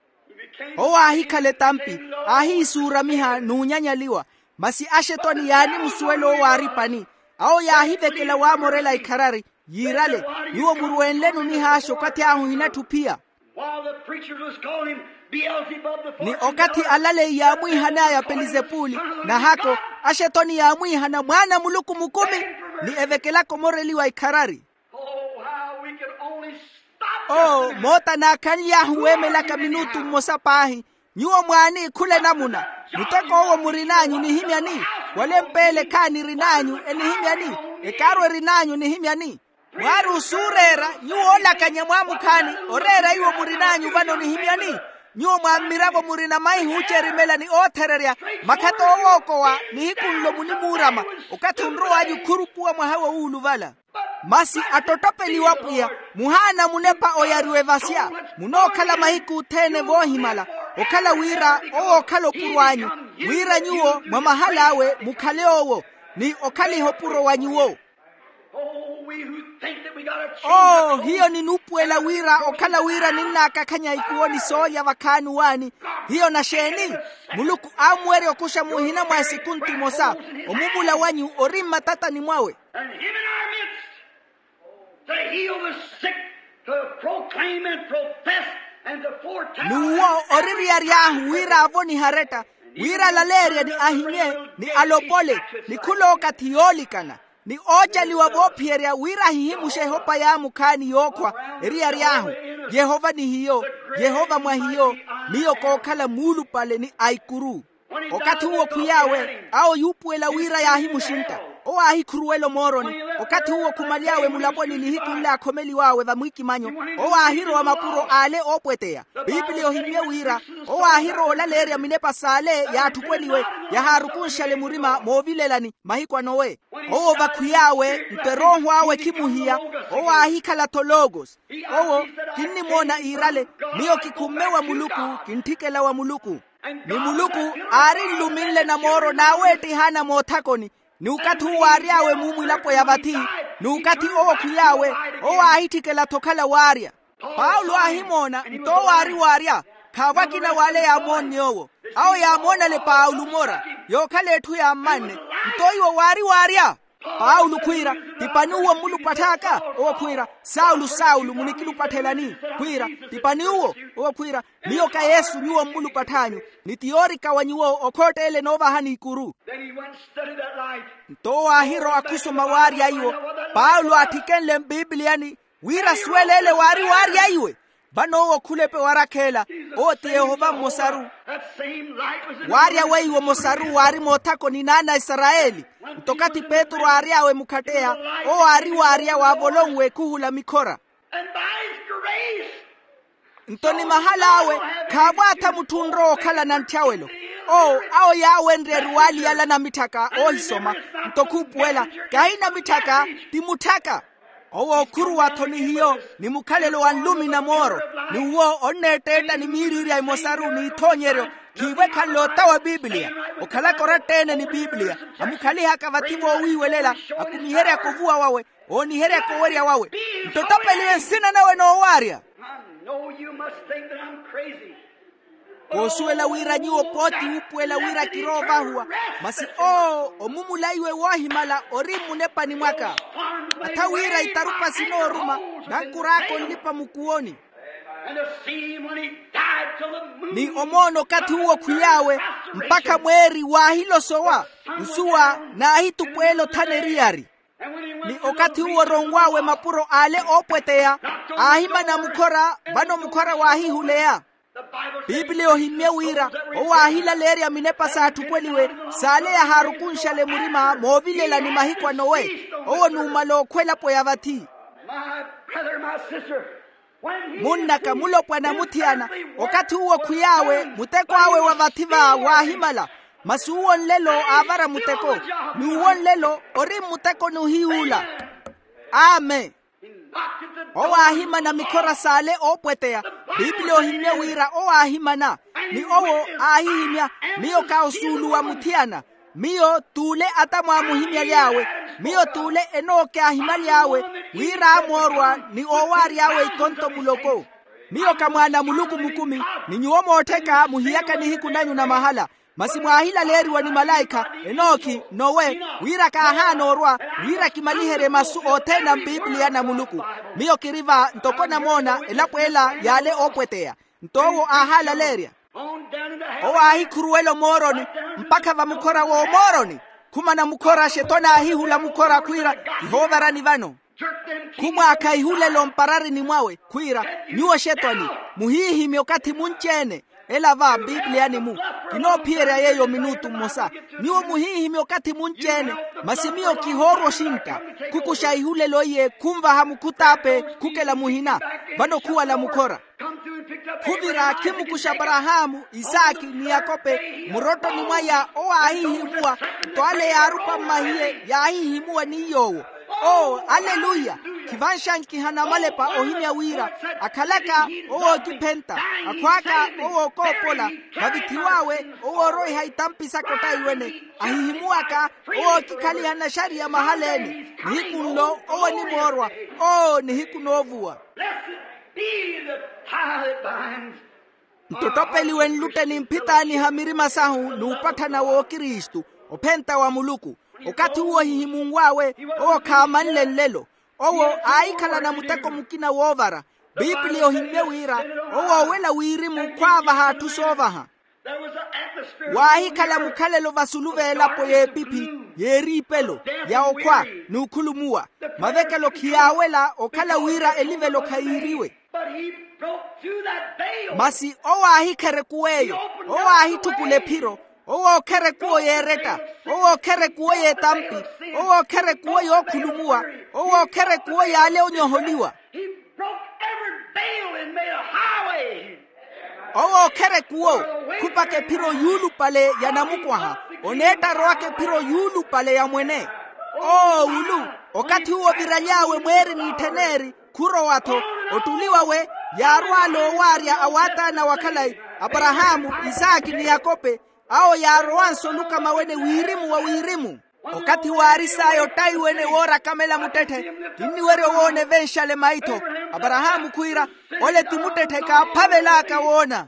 Owo aahikhala etampi, aahiisuuramiha n'unyanyaliwa. Masi axethoni yaanimusuwela owo aari pani. Awo yaahivekela waamorela ikharari, yiirale, nyuwo murwenleni onihaaxa okathi ahu ohinatthu ophiya. While the preachers was calling him Beelzebub the ni okathi alaleyi yaamwiihan'aya pelizepuli, nahako, axethoni yaamwiihana mwaana a muluku mukumi, ni evekelaka omoreliwa ikharari. Oh, how we can only stop o moota naakhanly'ahu weemelaka minutu mmosa paahi. Nyuwo mwaani khula enamuna, muteko owo murin'anyu nihimyani? Wala empeele khaani erin'anyu enihimyani? Ekaaru erin'anyu nihimyani? Mwaari osuureera, nyuwo oolakanya mwaamukhaani, oreera iwo murin'anyu vano nihimyani? Nyuwo mwa mmiravo murina maihi oocerimela ni oothererya, makhatta oowookowa, nihiku nlo munimuurama, okathi onrow'anyu khurupuwa mwaha wowuuluvala. Masi attottopeliwa pwiya, muhaana munepa oyariwa evasya, munookhala mahiku othene voohimala, okhala wira owo okhala opuro anyu, wira nyuwo mwa mahal'awe mukhale owo, ni okhaliha opuro wa nyuwo. Oh, hiyo ninuupuwela wira okhala wira ninnaakakhanya ikuwo ni soolya vakhaani waani. Hiyo naxeeni? Muluku aamuwerya okuxa muhina mwa esikuntu imosa. Omumula wanyu ori mmatatani mwawe. And him in our midst to heal the sick, to proclaim and profess and to foretell. N'uwo oririyary'ahu wira avonihe aretta, wira alaleerye ni ahimye, ni alopole, ni khulookathi yoolikana, ni oocaliwa voophiyerya wira ahihimuxe ehopa y'amukhaani yookhwa, eriyary'ahu, Yehova ni hiyo, Yehova mwa hiyo, miyo kookhala muulupale ni a ikuru. Okathi uwo khwiy'awe, awo yuupuwela wira yaahimuxintta. Owo aahikhuruwela omooroni. Okathi uwo khumaly'awe mulaponi nihiku nle aakhomeliw'awe vamwiikimanyo, owo aahirowa mapuro ale oopweteya. Piipiliya ohimmye wira, owo aahirowa olaleerya minepa s'ale yaatthupweliwe, yahaarukunxale murima moovilelani mahiku a nowe. Owo vakhwiy'awe nto erooho awe khimuhiya, owo aahikhala-tho logos. Owo, kinnimoona iirale, miyo kikhumme wa muluku, kintthikela wa muluku. Ni muluku aari nluminle namooro naaweettihaana moothakoni, ni okathi uwo aary'awe muumwilapo ya vathi, ni okathi owo khwiy'awe, owo aahitthikela-tho okhala waarya. Paulo aahimoona nto owo aari waarya. Khaavo akina w'ale yaamoonne owo. Awo yaamoonale paulo mora, yookhala etthu yaammanne. Nto iwo waari waarya? Paulo khwiira, ti pani uwo mmulupatth'aka? Owo khwiira, saulo saulo munikilupatth'elani? Khwiira, ti pani uwo? Owo khwiira, miyo ka yesu nyuwo mmulupatth'anyu. Ni ti yoorika wa nyuwo okhoott'ele noovahani ikuru. Then he went and studied that life. Nto owo aahirowa khusoma waarya iwo. Paulo aathikenle mpiipiliyani, wira asuwele ele waari waarya iwe. Vano owo khulepe warakheela, owo ti yehova mmosaru. Waarya weiwo mosaru waari moothakoni n'ana a isarayeli. Nto okathi petru aary'awe mukhatteya, owo aari waarya waavolonwe ekhuhula mikhora. Nto ni mahal'awe, khaavo atha mutthu onrowa okhalana nthyawelo. Owo awo yaawenrye eruwali yala namitthaka oohisoma. Nto khuupuwela, kahi namitthaka, ti mutthaka. Owo ookhuruwa-tho ni hiyo, ni mukhalelo wa nlumi na mooro, ni uwo onneetteetta ni miiriirya emosaru n'ithoonyeryo. Khiivo ekhanle ota wa pipiliya, okhalaka oratta-ene ni pipiliya, amukhalihaka vathi voowiiwelela, akumiheryaka ovuwa wawe, ooniheryaka owerya wawe. Nto ottopeliwe nsina nawe noowaarya. Koosuwela wira nyuwo pooti wuupuwela wira kiroovahuwa. Masi owo omumula iwe woohimala ori mmunepani mwaka. Atha wira itarupa sinooruma, nankur'aka onlipa mukuwoni. Ni omoona okathi uwo khwiy'awe, mpakha mweeri waahilosowa, nsuwa naahitupweela othana eriyari. Ni okathi uwo oronw'awe mapuro ale oopweteya, aahimana mukhora, vano mukhora waahihuleya. Piipiliya ohimmye wira owo aahilaleerya minepa saatthukweliwe, saale yahaarukunxale murima moovilela ni mahiku a nowe. Owo numala okhwa elapo ya vathi. Munnaka mulopwana muthiyana, okathi uwo khwiy'awe muteko awe wa vathi va waahimala. Masi uwo nlelo aavara muteko, n'uwo nlelo ori mmutekoni ohiy'ula. Amen. Owo aahimana mikhora saale oopweteya. Piipiliya ohimmye wira owo aahimana, ni owo aahihimya, miyo kaawo suuluwa muthiyana. Miyo t'ule atamu aamuhimyaly'awe. Miyo t'ule enooke aahimaly'awe, wira aamoorwa ni oowaary'awe ikonto muloko. Miyo ka mwaana a muluku mukumi, ni nyuwo moottheka muhiyaka nihiku nanyu na mahala. Masi mwaahilaleeriwa ni malaikha, enookhi, nowe, wira kaahaana orwa, wira kimaliherye masu othene a mpipiliya na muluku. Miyo kiri va ntoko namoona elapo ela y'ale oopweteya. Nto owo aahaalaleerya. Owo aahikhuruwela omooroni, mpakha vamukhora w'omooroni. Khumana mukhora xetwani aahihula mukhora khwiira, kihoovarani vano. Khumwaakha ihulelo mpararini mwawe khwiira, nyuwo xetwani, muhiihimye okathi munci-ene. Ela va mpipiliyani-mu, kinoophiyerya yeeyo minutu mmosa. Nyuwo muhiihimye okathi munci-ene, masi miyo kihoorwa oxinka. Khukuxa ihulelo iye khunvaha mukhut'ape khukela muhina. Vano khuwala mukhora. Khuvira khimukuxa aparahaamu, isaki ni yakope, murottoni mwaya owo aahihimuwa. Nto ale yaarupa mmahiye yaahihimuwa ni yoowo. Oo aleluya. Khivanxankihana amalepa ohimya wira, akhalaka owo ookiphenta, akhwaaka owo ookoopola, vavithiw'awe owo ooroiha itampi saka ottaiwene, ahihimuwaka owo ookikhaliha naxariya mahala-ene. Nihiku nlo owo onimoorwa. Oo nihiku noovuwa. Be the tie that binds. Nto ottopeliwe nlutte ni mphitaaniha mirima sahu n'upatthana w'okristu, ophenta wa muluku. Okathi uwo ohihimunw'awe, owo khaamanle nlelo. Owo aahikhalana muteko mukina woovara. Piipiliya ohimmye wira, owo oowela wirimu khwaavaha atthu soovaha. Waahikhala mukhalelo vasulu v'elapo y'epiphi, y'eriipelo, ya okhwa, n'ukhulumuwa. Mavekelo khiyaawela okhala wira elivelo khayiiriwe. Masi owo aahikherekuw'eyo. Owo aahitthukula ephiro. Owo ookherekuwo yeeretta. Owo ookherekuwo y'etampi. Owo ookherekuwo yookhulumuwa. Owo ookherekuwo y'ale onyoholiwa. Owo ookherekuwo, khupaka ephiro yuulupale ya namukwaha. Oneetta arowaka ephiro yuulupale ya mwene. Oo ulu, okathi uwo oviraly'awe mweeri n'itthen'eri, khurowa-tho. Ottuliwa we, yaarw'ale oowaarya a waataana wa khalayi, aparahaamu, isaaki ni yakope. Awo yaarowanse olukama wene wirimu wa wirimu. Okathi waaris'aya ottaiwene woora akamela muttetthe, kinniwerya owoona evenxale maitho. Aparahaamu khwiira, ole ti muttetthe kaaphavel'aka woona.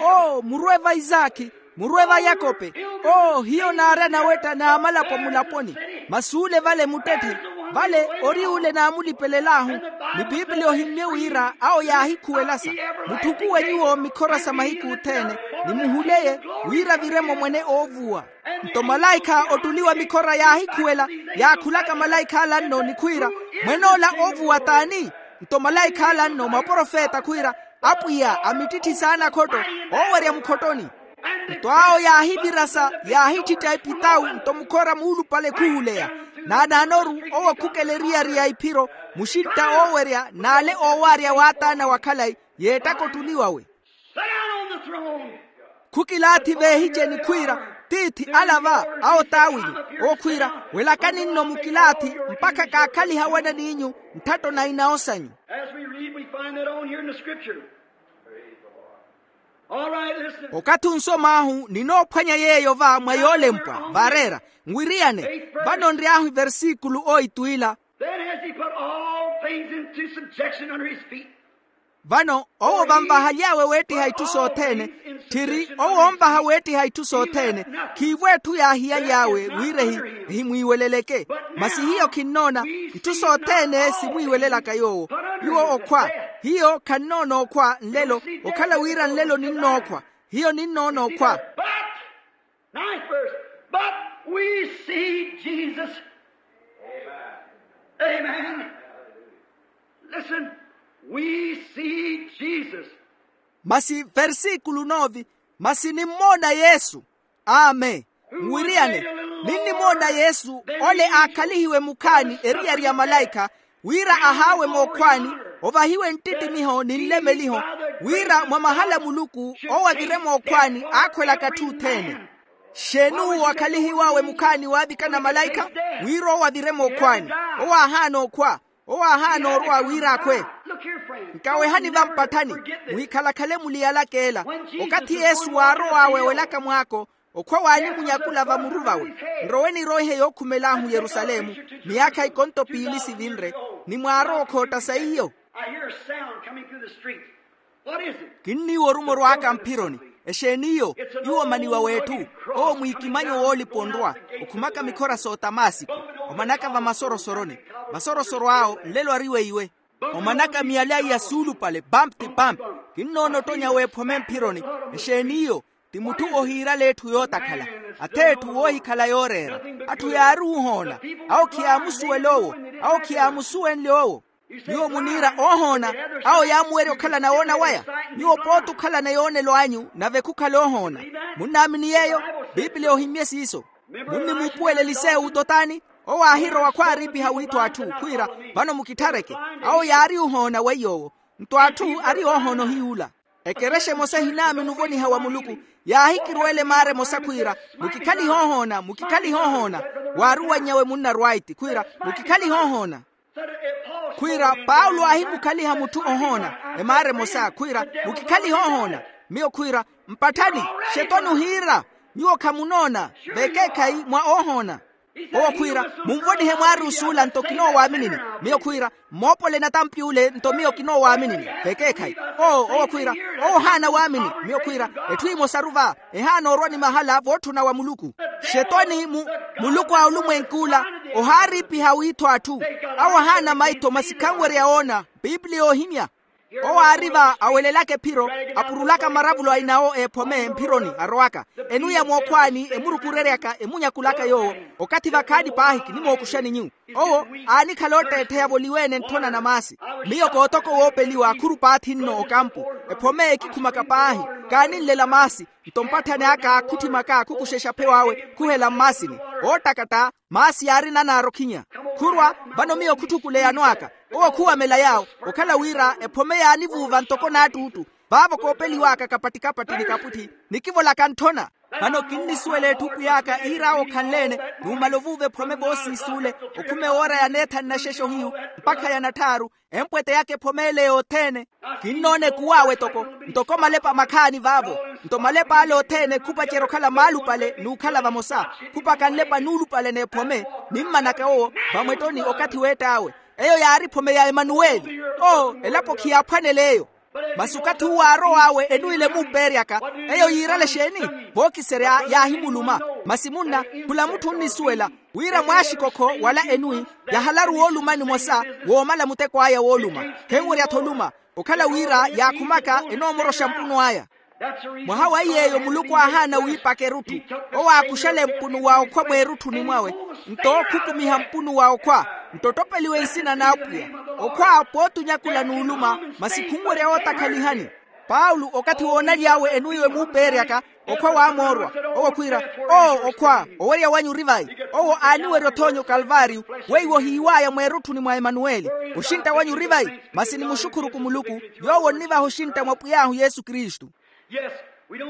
Oo murwe va isaaki, murwe va yakope. Oo hiyo naari anawetta n'amalapo mulaponi. Masi ole vale muttetthe, vale ori ole naamulipelel'ahu. Ni piipiliya ohimmye wira awo yaahikhuwelasa, mutthukuwe nyuwo mikhora sa mahiku othene, ni muhuleye, wira avire-mo mwene oovuwa. Nto malaikha ottuliwa mikhora yaahikhuwela, yaakhulaka malaikha ala nno ni khwiira, mwen'ola oovuwa t'ani? Nto malaikha ala nno maprofeta khwiira, apwiya a mittitthi saana akhotto, oowerya mukhottoni. Nto awo yaahivirasa, yaahittitta epitawu nto mukhora muulupale khuhuleya. Naanaanoru owo khukela eriyari ya iphiro, muxintta oowerya n'ale oowaarya waataana wa khalayi, y'ettaka ottuliwawe. Khukilaathi veehiceni khwiira, tiithi ala va, awo taawili. Owo khwiira, welakani nno mukilaathi, mpakha kaakhaliha wana n'inyu, ntthatto na inawo sanyu. Okathi onsom'ahu ninoophwanya yeeyo va mwa yoolempwa vaareera, nwiriyane. Vano nry'ahu iversikulo oitu ila. Then has he put all things into subjection under his feet. Vano owo vanvahaly'awe weettiha itthu sothene. Tthiri owo onvaha weettiha itthu sothene. Khiivo etthu yaahiyaly'awe wira ehi ehimwiiweleleke. Masi hiyo khinnoona, itthu sothene simwiiwelelaka yoowo. Nyuwo okhwa, Hiyo khannoona okhwa nlelo. Okhala wira nlelo ninnookhwa. Hiyo ninnoona okhwa. But ninth verse, but we see Jesus. Amen. Listen, we see Jesus. Masi versikulu nove. Masi nimmoona yesu. Amen. Mwiriyane, ninnimoona yesu ole aakhalihiwe mukhaani eriyari ya malaikha, wira ahaawe mookhwaani, ovahiwe nttittimiho ni nlemeliho, wira mwa mahala muluku owo avire mookhwaani aakhwelaka atthu othene. Xeeni uwo akhalihiw'awe mukhaani waavikana malaikha? Wira owo avire mookhwaani. Owo aahaana okhwa. Owo aahaana orwa wira akhwe. Nkawehani vampatthani, muhikhalakhale muliyalaka ela. Okathi yesu waarow'awe welaka mwaako, okhwa waanimunyakula vamuru vawe, nrowe niroihe yookhumel'ahu yerusalemu, miyaakha ikonto piili sivinre, ni mwaarowa okhootta sa iyo. Kinniiwa orumo orwaaka mphironi. Exeeni iyo? Iwo omaniwa w'etthu. Owo mwiikimanyo woolipa onrwa, okhumaka mikhora s'otamasiko, omanaka vamasorosoroni. Masorosoro awo nlelo ari weiwe. Omanaka miyala iya suulupale pampi ti pampi. Kinnoona ottonya w'ephome mphironi. Exeeni iyo? Ti mutthu ohiirala etthu yootakhala. Ath'etthu woohikhala yooreera. Atthu yaari ohoona. Awo khiyaamusuwela owo. Awo khiyaamusuwenle owo. Nyuwo muniira oohoona. Awo yaamuwerya okhalana woona waya. Nyuwo pooti okhalana yoonelo anyu nave khukhala oohoona. Munnaamini yeeyo? Piipiliya ohimmye siiso. Munnimuupuwela elisewu totaani? Owo aahirowa khwaariipiha wiitho atthu khwiira, vano mukitthareke. Awo yaari ohoona weiy'owo. Nto atthu ari oohoona ohiy'ula. Ekerexa emosa ehinaamini ovoniha wa muluku. Yaahikirweela emaara emosa khwiira, mukikhalihe ohoona, mukikhalihe ohoona. Waaruwanny'awe munna rwaiti khwiira, mukikhalihe ohoona. Khwiira paulo aahimukhaliha mutthu ohoona, emaara emosa khwiira, mukikhalihe ohoona. Miyo khwiira, mpatthani, xetoni ohiira, nyuwo khamunoona, vekeekhayi mwa oohoona. Owo khwiira, munvonihe mwaari osuula nto kinoowaminini. Miyo khwiira, mmoopole natampi ule nto miyo kinoowaminini. Vekeekhayi. Oo owo khwiira, owo ohaana waamini. Miyo khwiira, etthu emosaru va, ehaana orwa ni mahala vootthuna wa muluku. Xetoni mu muluku a olumwenk'ula, ohaariipiha wiitho atthu. Awo ahaana maitho masi khanwerya woona. Piipiliya oohimya. Owo aari va awelelaka ephiro, apurulaka maravulo a inawo eephome mphironi arowaka, enuya mookhwaani emurukureryaka emunyakulaka yoowo. Okathi vakhaani paahi kinimookuxani nyuwo. Owo aanikhala otteettheya voliweene ntthona na maasi. Miyo kootoka owoopeliwa khuru paathi nno okampu. Ephome ekikhumaka paahi, kaaninlela maasi. Nto mpatthani aka khutthimaka khukuxexa pheyo awe khuhela mmaasini. Oottakatta, maasi yaari nanaara okhinya. Khurwa, vano miyo khutthukuleya anw'aka. Owo khuwamela yaawo, okhala wira ephome yaanivuuva ntoko naattuuttu. Vaavo koopeliw'aka kapatti-kapatti ni kaputthi, nikivolaka ntthona. Vano kinnisuwela etthu pwiy'aka iir'awe okhanle-ene, numala ovuuva ephome voosiisuule, okhume woora ya neethanu na xexa ohiyu, mpakha ya natthaaru, empwete yaka ephome ele yothene. Kinnoona ekuw'awe toko, ntoko malepa makhaani vaavo. Nto malepa ale othene khupacerya okhala maalupale n'ukhala vamosa. Khupaka nlepa nuulupale n'ephome, nimmanaka owo, vamwettoni okathi weett'awe. Eyo yaari ephome ya emanuweli. Oo elapo khiyaaphwanela eyo. Masi okathi uwo aarow'awe enuwile emumpeeryaka, eyo yiirale exeeni? Vookiserya yaahimuluma. Masi munna, khula mutthu onnisuwela wira mwaaxikokho wala enwi, yahalaru woolumani mmosa woomala muteko aya wooluma. Khenwerya-tho oluma, okhala wira yaakhumaka enoomoroxa mpunu aya. Mwaha wa iy'eyo muluku aahaana wiipaka erutthu. Owo aakuxale mpunu wa okhwa mweerutthuni mwawe, nto khukumiha mpunu wa okhwa, nto ottopeliwe nsina n'apwiya. Okhwa pooti onyakula n'uluma, masi khunwerya wootakhalihani. Paulo okathi woonaly'awe enwiiwe muupeeryaka, okhwa waamoorwa. Owo khwiira, oo okhwa, owerya wanyu ori vayi? Owo aaniwerya othoonya okalvaariyo, weiwo ohiiw'aya mweerutthuni mwa emanuweli. Oxintta wanyu ori vayi? Masi nimuxukhuruku muluku, yoowo onnivaha oxintta mwa pwiy'ahu yesu kristu.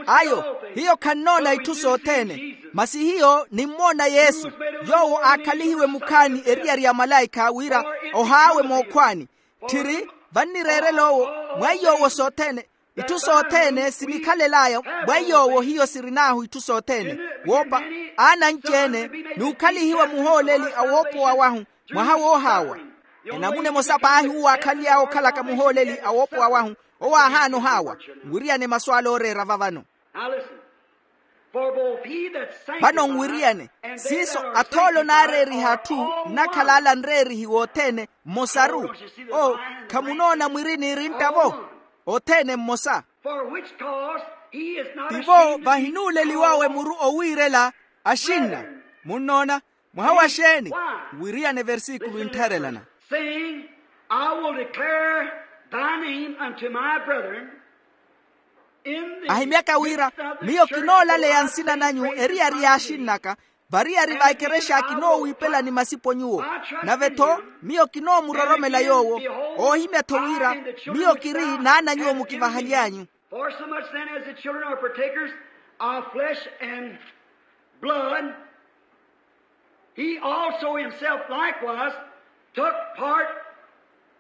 Ayo, hiyo khannoona itthu sothene. Masi hiyo nimmoona yesu, yoowo aakhalihiwe mukhaani eriyari ya malaikha wira, ohaawe mookhwaani. Tthiri, vannireerela owo, mwa iy'owo sothene, itthu sothene sinikhalel'aya. Mwa iy'owo hiyo sirin'ahu itthu sothene, woopa, aana anci-ene, n'ukhalihiwa muhooleli a woopowa wahu, mwaha woohaawa. Enamuna emosa paahi uwo aakhaly'awe okhalaka muhooleli a woopowa wahu, owo aahaana ohaawa. Nwiriyane masu ale ooreera va vano. Vano nwiriyane siiso, athoolo naareeriha atthu nnakhala ala nreerihi wothene mmosaru. O, khamunoona mwiri niirintta-vo? Othene mmosa. Tivo vahinuuleliwawe muru owiirela axinna. Munnoona? Mwaha wa xeeni? Wiriyane versikulu inttharelana. Saying, I will declare thy name unto my brethren. Ahimyaka wira, miyo kinoolaleya nsina nanyu eriyari y'axinn'aka variyari va ekerexa kinoowiipelani masipo nyuwo. Nave-tho miyo kinoomuroromela yoowo. Oohimya-tho wira miyo kiri naana nyuwo mukivahaly'anyu. For so much then as the children are partakers of flesh and blood, he also himself likewise took part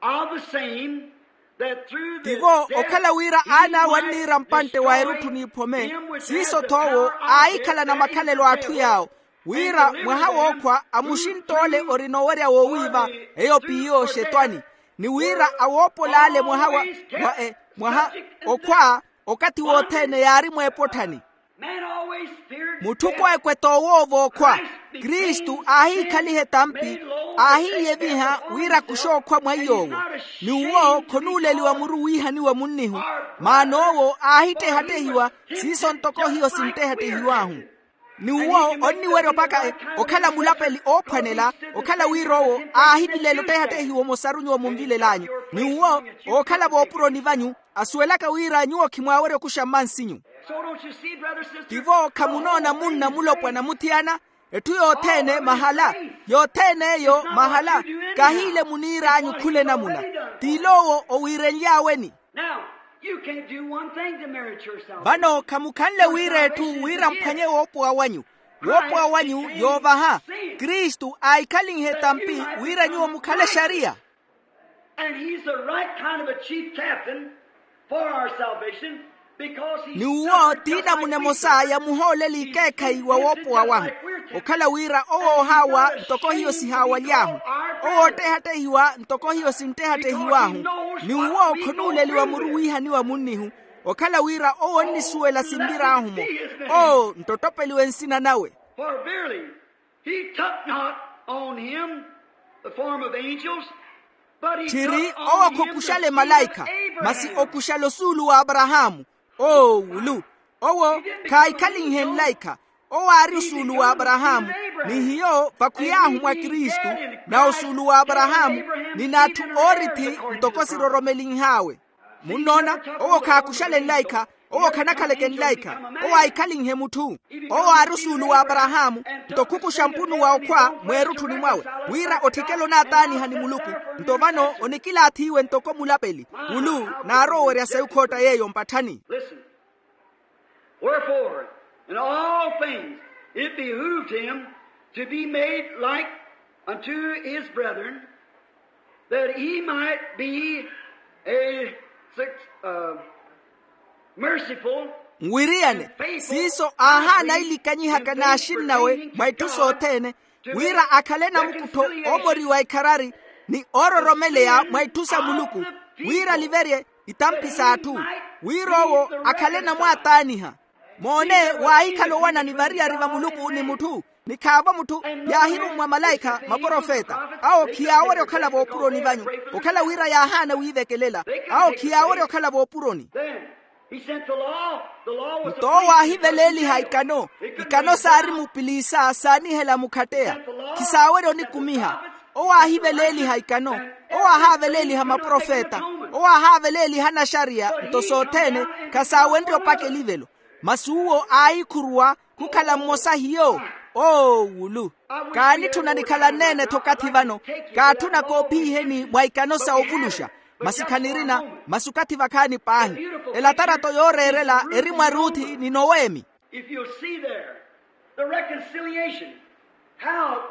of the same, that through the tivo okhala wira aan'awe anniira mpantte wa erutthu n'iphome, siiso-th'owo aahikhalana makhalelo a atthu yaawo, wira mwaha wookhwa amuxintt'ole ori noowerya woowiiva, eyo p'iyo oxetwani, ni wira awoopol'ale mwaha wa, wa e, mwaha okhwa, okathi wothene yaari mw'epotthani. Mutthu kweekwe t'owoova okhwa. Kristu aahiikhaliha etampi, aahiiyeviha wira kuxookhwa mwa iy'owo. Ni uwo khonuuleliwa muru wiihaniwa munnihu, maana owo aahittehattehiwa, siiso ntoko hiyo sinttehattehiw'ahu. Ni uwo onniwerya opaka e, okhala mulapeli oophwanela, okhala wira owo aahivilela ottehattehiwa omosaru nyuwo munvilel'anyu. Ni uwo ookhala voopuroni vanyu, asuwelaka wira nyuwo khimwaawerya okuxa mmansinyu. Tivo khamunoona munna mulopwana muthiyana, etthu yothene mahala, yothene eyo mahala, kahiile muniir'anyu khula enamuna. T'il'owo owiirenly'aweni. Now, you can't do one thing to merit your salvation. Vano khamukhanle wira etthu wira mphwanye woopowa wanyu. Woopowa wanyu yoovaha. Kristu aahikhalinhe etampi wira nyuwo mukhale exariya. And he's the right kind of a chief captain for our salvation, because he ni uwo t'inamuna emosa yamuhooleli ikeekhayi wa woopowa wahu. Okhala wira owo ohaawa ntoko hiyo sihaawaly'ahu, owo oottehattehiwa ntoko hiyo sinttehattehiw'ahu. Ni uwo khonuuleliwa muru wiihaniwa munnihu, okhala wira owo onnisuwela sinvir'ahu-mo. Oo nttottopeliwe nsina nawe. For verily, he took not on him the form of angels, but he tthiri took owo on him the khookuxale seed of malaikha, masi Abraham. Okuxale osuulu w'aparahaamu. Oo wulu, owo khaahikhalinhe nlaikha. Owo aari osuulu w'aparahaamu, ni hiyo vakhwiy'ahu mwa kristu, na osuulu w'aparahaamu, ni n'atthu oorithi ntoko siroromelinh'awe. Munnoona, owo khaakuxale nlaikha, owo khanakhaleke nlaikha, owo aahikhalinhe mutthu. Owo aari osuulu w'aparahaamu, nto khukuxa mpunu wa okhwa mweerutthuni mwawe, wira otthikela onaataaniha ni muluku. Nto vano onikilaathiwe ntoko mulapeli, wulu naarowa owerya sayi okhootta yeeyo mpatthani. Listen. Wherefore, in all things it behooved him to be made like unto his brethren, that he might be a suc-, uh, merciful. Nwiriyane, siiso aahaana ilikanyihaka n'axinnawe mwa itthu sothene, wira akhale namukuttho oomoriwa ikharari, ni oororomeleya mwa itthu sa muluku, wira aliverye itampi s'atthu, wira owo akhale namwaataaniha. Moone, waahikhala owanani variyari va muluku ni mutthu, ni khaavo mutthu, yaahirummwa malaikha maprofeta. Awo khiyaawerya okhala voopuroni vanyu, okhala wira yaahaana wiivekelela. Awo khiyaawerya okhala voopuroni. Nto owo aahiveleeliha ikano. Ikano saari mupiliisa saanihela mukhatteya, khisaawerya onikumiha. Owo aahiveleeliha ikano. Owo aahaaveleeliha maprofeta. Owo ahaaveleeliha anaxariya. Nto sothene khasaawenrye opaka elivelo. Masi uwo aahikhuruwa khukhala mmosa hiyo. Oo wulu, kaanitthuna nikhala nneene-tho okathi vano. Kaatthuna koophiiheni mwa ikano sa ovuluxa. Masi khanirina. Masi okathi vakhaani paahi. Elatarato yooreerela eri mwa ruthi ni noweemi. If you'll see there the reconciliation, how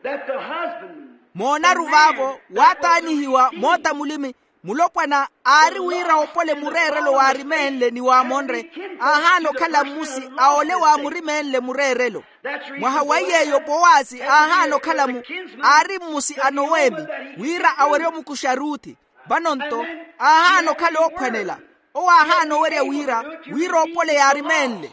that the husband moonaru vaavo waataanihiwa moota mulimi. Mulopwana aari wira opole mureerelo waarimeenle ni waamonre, aahaana okhala mmusi a ole waamurimeenle mureerelo. Mwaha wa iy'eyo powasi aahaana okhala mu aari mmusi a noweemi, wira awerye omukuxa ruthi. Vano-nto aahaana okhala oophwanela. Owo aahaana owerya wira wira opole yaarimeenle.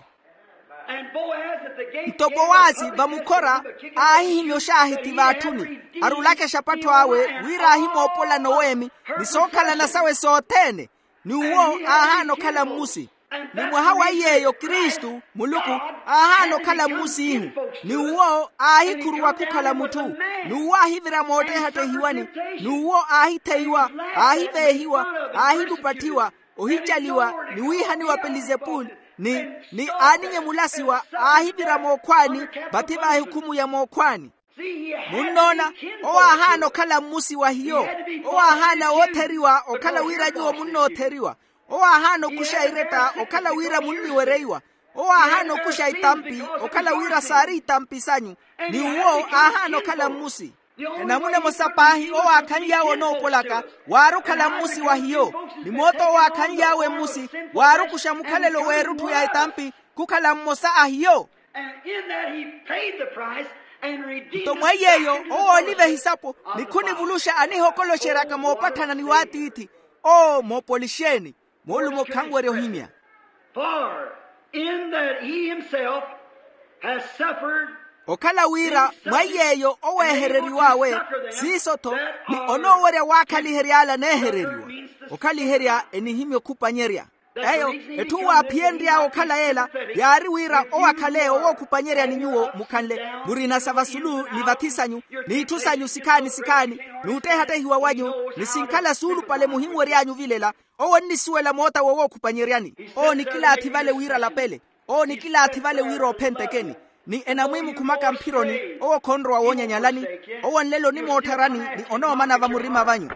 Nto powasi vamukhora aahihimya oxaahiti v'atthuni, arulaka exapattho awe wira aahimoopola noweemi ni sookhalana sawe sothene. Ni uwo aahaana okhala mmusi. Ni mwaha wa iy'eyo kristu muluku aahaana okhala mmusi ihu. Ni uwo aahikhuruwa khukhala mutthu. Ni uwo aahivira moottehattehiwani. Ni uwo aahitheiwa, aahiveehiwa, aahilupatthiwa, ohicaliwa ni wiihaniwa pelizepuli, ni ni aaninyemulasiwa aahivira mookhwaani, vathi va ehukhumu ya mookhwaani. Munnoona, owo aahaana okhala mmusi wa hiyo. Owo aahaana wootheriwa okhala wira nyuwo munnootheriwa. Owo aahaana okuxa iretta okhala wira munniwereiwa. Owo aahaana okuxa itampi okhala wira saari itampi sanyu. Ni uwo aahaana okhala mmusi. Enamuna emosa paahi owo aakhanly'awe onoopolaka waari okhala mmusi wa hiyo. Ni moota owo aakhanly'awe mmusi waari okuxa mukhalelo w'erutthu ya etampi khukhala mmosa a hiyo. And in that he paid the price and redeemed nto mwa iyeeyo owo ooliva ehisapo ni khunivuluxa anihokoloxeryaka moopatthana ni w'atiithi. Oo moopolixeeni. Moolumo khanwerya ohimya. For in that he himself has suffered. Okhala wira mwa iyeeyo oweehereriw'awe siiso-tho ni onoowerya waakhalihery'ala aneehereriwa. Okhaliherya enihimya okhupanyerya. Eyo etthu waaphiyenry'awe okhala yeela yaari wira owo akhale owookhupanyerya ni nyuwo mukhanle murina sa vasulu ni vathi sanyu n'itthu sanyu sikhaani sikhaani n'uttehattehiwa wanyu ni sinkhala suulupale muhinwery'anyu ovilela. Owo onnisuwela moota wowookhupanyeryaani. Owo nikilaathi vale wira alapele. Owo nikilaathi vale wira ophenteke-ni ni enamwiimukhumaka mphironi. Owo khonrowa woonyanyala-ni. Owo nlelo onimootthara-ni ni onoomana vamurima vanyu.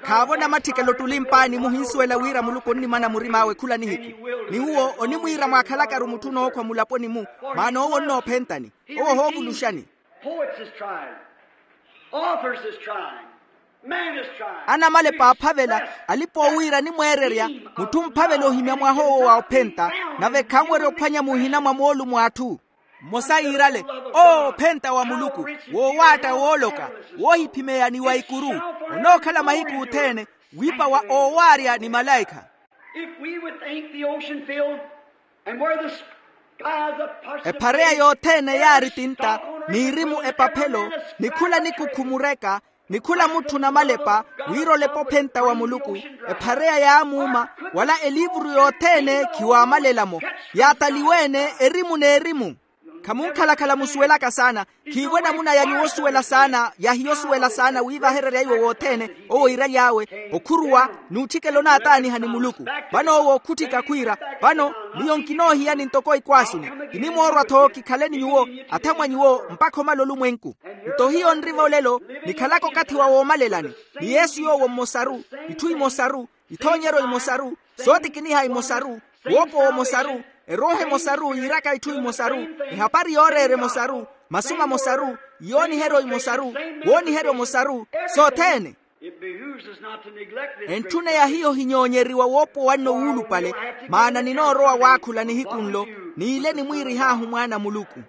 Khaavo namatthikelo ottuli mpaani muhinsuwela wira muluku onnimana murim'awe khula nihiku. Ni uwo onimwiira mwaakhalakaru mutthu onookhwa mulaponi-mu. Maana owo onnoophenta-ni. Owo ohoovuluxa-ni. Poets is trying. Authors is trying. Man is trying. Anamalepa aaphavela alipa-oowiira animweererya. Mutthu omphavela ohimya mwaha owo wa ophenta nave khanwerya ophwanya muhina mwa moolumo a atthu. Mmosa yiirale, oo ophenta wa muluku, woowaatta wooloka, woohiphimeya ni wa ikuru. Onookhala mahiku othene wiipa wa oowaarya ni malaikha. If we would think the ocean filled and where the skies of parchment ephareya yothene yaari tintta n'irimu epaphelo ni khula nikukhu mureka ni khula mutthu namalepa wira olepa ophenta wa muluku. Ephareya yaamuuma wala eliivuru yothene khiwaamalela-mo. Yaataliwe-ene erimu n'erimu. Khamunkhalakhala musuwelaka saana. Khiivo enamuna ya nyuwo osuwela saana ya hiyo osuwela saana wiivahererya iwo wothene. Owo iiraly'awe okhuruwa n'utthikela onaataaniha ni muluku. Vano owo okhutthika khwiira, vano miyo nkinoohiyani ntoko ikwaasuni. Kinimoorwa-tho kikhale ni nyuwo athamwa nyuwo mpakha omala olumwenku. Nto hiyo nriva olelo nikhalaka okathi wa woomalelani ni yesu yoowo mmosaru, itthu imosaru, ithoonyeryo imosaru, sootikiniha imosaru, woopowa omosaru, erooho emosaru yiiraka itthu imosaru, ehapari yooreera emosaru, masu mamosaru, iyooniheryo imosaru, wooniheryo omosaru, sothene. Entthuneya hiyo hinyoonyeriwa woopowa nno wuulupale. Maana ninoorowa waakhula nihiku nlo niile nimwiirih'ahu mwaana a muluku.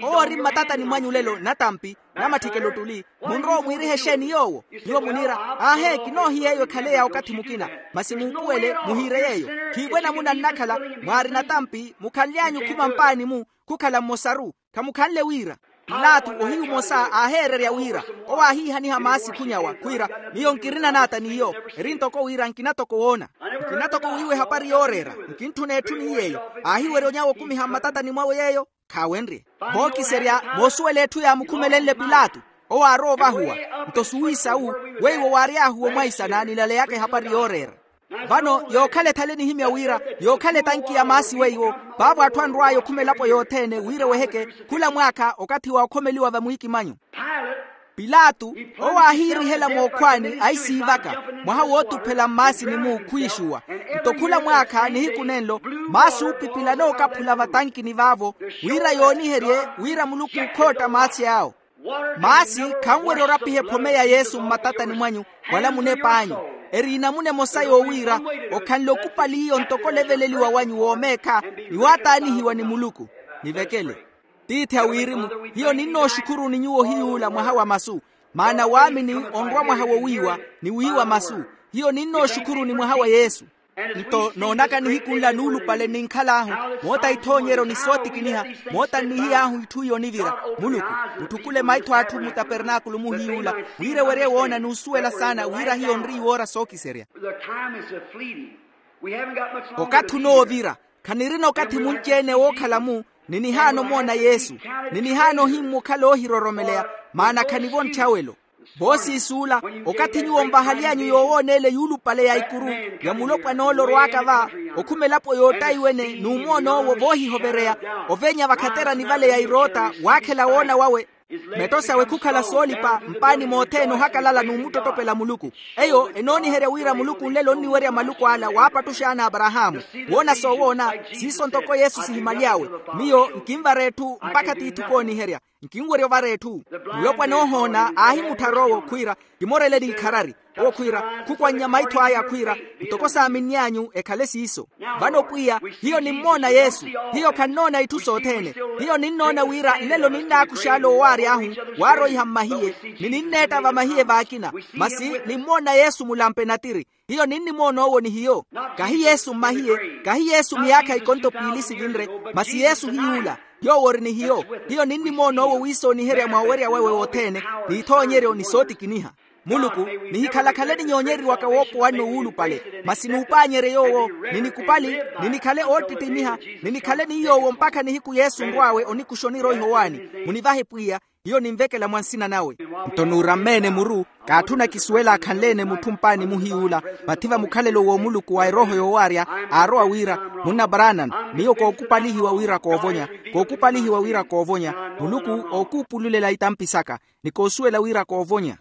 Owo ori mmatatani mwanyu lelo natampi namatthikelo ottuli. Munrowa omwiiriha exeeni yoowo? Nyuwo muniira aahe kinoohiya eyo ekhale ya okathi mukina. Masi muupuwele muhiire yeeyo. Khiivo enamuna nnakhala mwaari natampi mukhanly'anyu okhuma mpaani-mu khukhala mmosaru. Khamukhanle wira pilato ohiyu omosa aaheererya wira owo aahiihaniha maasi khunyawa khwiira miyo nkirina naata n'iyo. Eri ntoko wira nkina toko woona. Nkina toko wiiwa ehapari yooreera. Nkintthuna etthu ni yeeyo. Aahiwerya onyawa okumiha mmatatani mwawe yeeyo. Khaawenrye vookiserya moosuwela etthu yaamukhumelenle pilato. Owo aarowa ovahuwa nto suwiisa wu weiwo waary'ahu omwaisana nilaleyaka ehapari yooreera. Vano yookhala ethale nihimya wira yookhala etanki ya maasi weiwo. Vaavo atthu anrw'aya okhuma elapo yothene wira eweheke khula mwaakha okathi wa okhomeliwa vamwiikimanyu. Pilato owo aahiirihela mookhwaani aisiivaka mwaha wootuphela mmaasini-mu khwiixuwa. Nto khula mwaakha nihiku nenlo maasi oopipila anookaphula vatankini vaavo wira yooniherye wira muluku okhootta maasi awo. Maasi khanwerya orapiha ephome ya yesu mmatatani mwanyu wala munep'anyu. Eri enamuna emosa yoowiira okhanle okupali iyo ntoko oleveleliwa wanyu woomeekha ni waataanihiwa ni muluku. Nivekele tiithi a wirimu. Hiyo ninnooxukhuruni nyuwo ohiy'ula mwaha wa masu maana waamini onrwa mwaha wowiiwa ni wiiwa masu. Hiyo ninnooxukhuruni mwaha wa yesu. Nto noonaka nihiku nla nuulupale nninkhal'ahu, moota ithoonyeryo ni sootikiniha, moota nnihiy'ahu itthu iyo onivira. Muluku, mutthukhule maitho a atthu mmutapernaakulu muhiy'ula, wira ewerye woona n'usuwela saana wira hiyo nri iwoora sookiserya. Okathi onoovira. Khanirina okathi munci-ene wookhala-mu, ni nihaana omoona yesu, ni nihaana ohimmwa okhala oohiroromeleya, maana khanivontthyawelo. Voosiisuula, okathi nyuwo nvahaly'anyu yoowooneele yuulupale ya ikuru, ya mulopwana ole orwaaka va, okhuma elapo yoottayiwene n'umoon'owo voohihovereya, oveenya vakhaterani vale ya iroota waakhela woona wawe, metto sawe khukhala soolipa mpaani mothene ohakalala n'umuttottopela muluku. Eyo enooniherya wira muluku nlelo onniwerya maluku ala waapattuxa ana aparahaamu. Woona soowoona, siiso ntoko yesu sihimaly'awe. Miyo nkinvara etthu mpakha tiithi kooniherya. Nkinwerya ovara etthu. Mulopwana oohoona aahimutthar'owo khwiira, kimoreleni ikharari. Owo khwiira, khukwannya maitho aya khwiira, ntoko saaminny'anyu ekhale siiso. Vano pwiya, hiyo nimmoona yesu. Hiyo khannoona itthu sothene. Hiyo ninnoona wira nlelo ninnaakux'ale owaary'ahu, waaroiha mmahiye, ni ninneetta vamahiye vaakina. Masi nimmoona yesu mulampe natiri. Hiyo ninnimoon'owo ni hiyo. Kahi yesu mmahiye, kahi yesu miyaakha ikonto piili sivinre, masi yesu hiy'ula. Yoowo ori ni hiyo. Hiyo ninnimoon'owo wiisooniherya mwa owerya wawe wothene, n'ithoonyeryo ni sootikiniha. Muluku, nihikhala-khale ninyoonyeriwaka woopowa-nno wuulupale, masi nuupaanyerye yoowo, ninikupali, ninikhale oottittimiha, ninikhale ni yoowo mpakha nihiku yesu onrw'awe onikuxa oniroiha owaani. Munivahe pwiya. Hiyo ninvekela mwa nsina nawe. Nto nuurammeene muru, kaatthuna kisuwela akhanleene mutthu mpaani muhiy'ula. Vathi va mukhalelo w'omuluku wa erooho yoowaarya, aarowa wira, munna branham, miyo kookupalihiwa wira koovonya. Kookupalihiwa wira koovonya. Muluku ookuupululela itampi saka, ni koosuwela wira koovonya.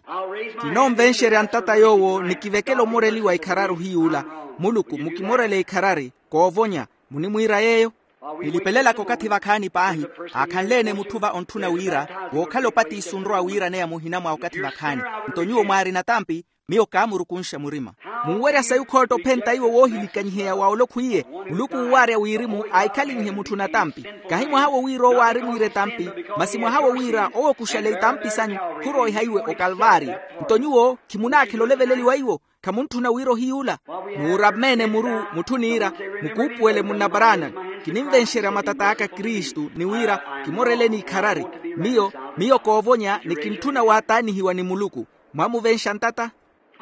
Kinoonvenxerya ntata yoowo nikivekela omoreliwa ikharari ohiy'ula. Muluku mukimorele ikharari, koovonya. Munimwiira yeeyo. Nilipelelaka okathi vakhaani paahi, aakhanleene mutthu va ontthuna wira, wookhala opatiso onrowa wiiraneya muhina mwa okathi vakhaani. Nto nyuwo mwaari natampi, miyo kaamurukunxa murima. Munwerya sayi okhootta ophenta iwo woohilikanyiheya wa olokhwiye. Muluku uuwaarya wirimu aahikhalinyihe mutthu natampi. Kahi mwaha wo wira owo aarimwiire etampi, masi mwaha wo wira owo okuxale itampi sanyu, khuroiha iwe okalvaariyo. Nto nyuwo khimunaakhela oleveleliwa iwo. Khamuntthuna wira ohiy'ula. Nuurammeene muru mutthu niira, mukuupuwele munna branham, kininvenxerya matat'aka kristu ni wira, kimoreleni ikharari. Miyo, miyo koovonya ni kintthuna waataanihiwa ni muluku. Mwamuvenxa ntata.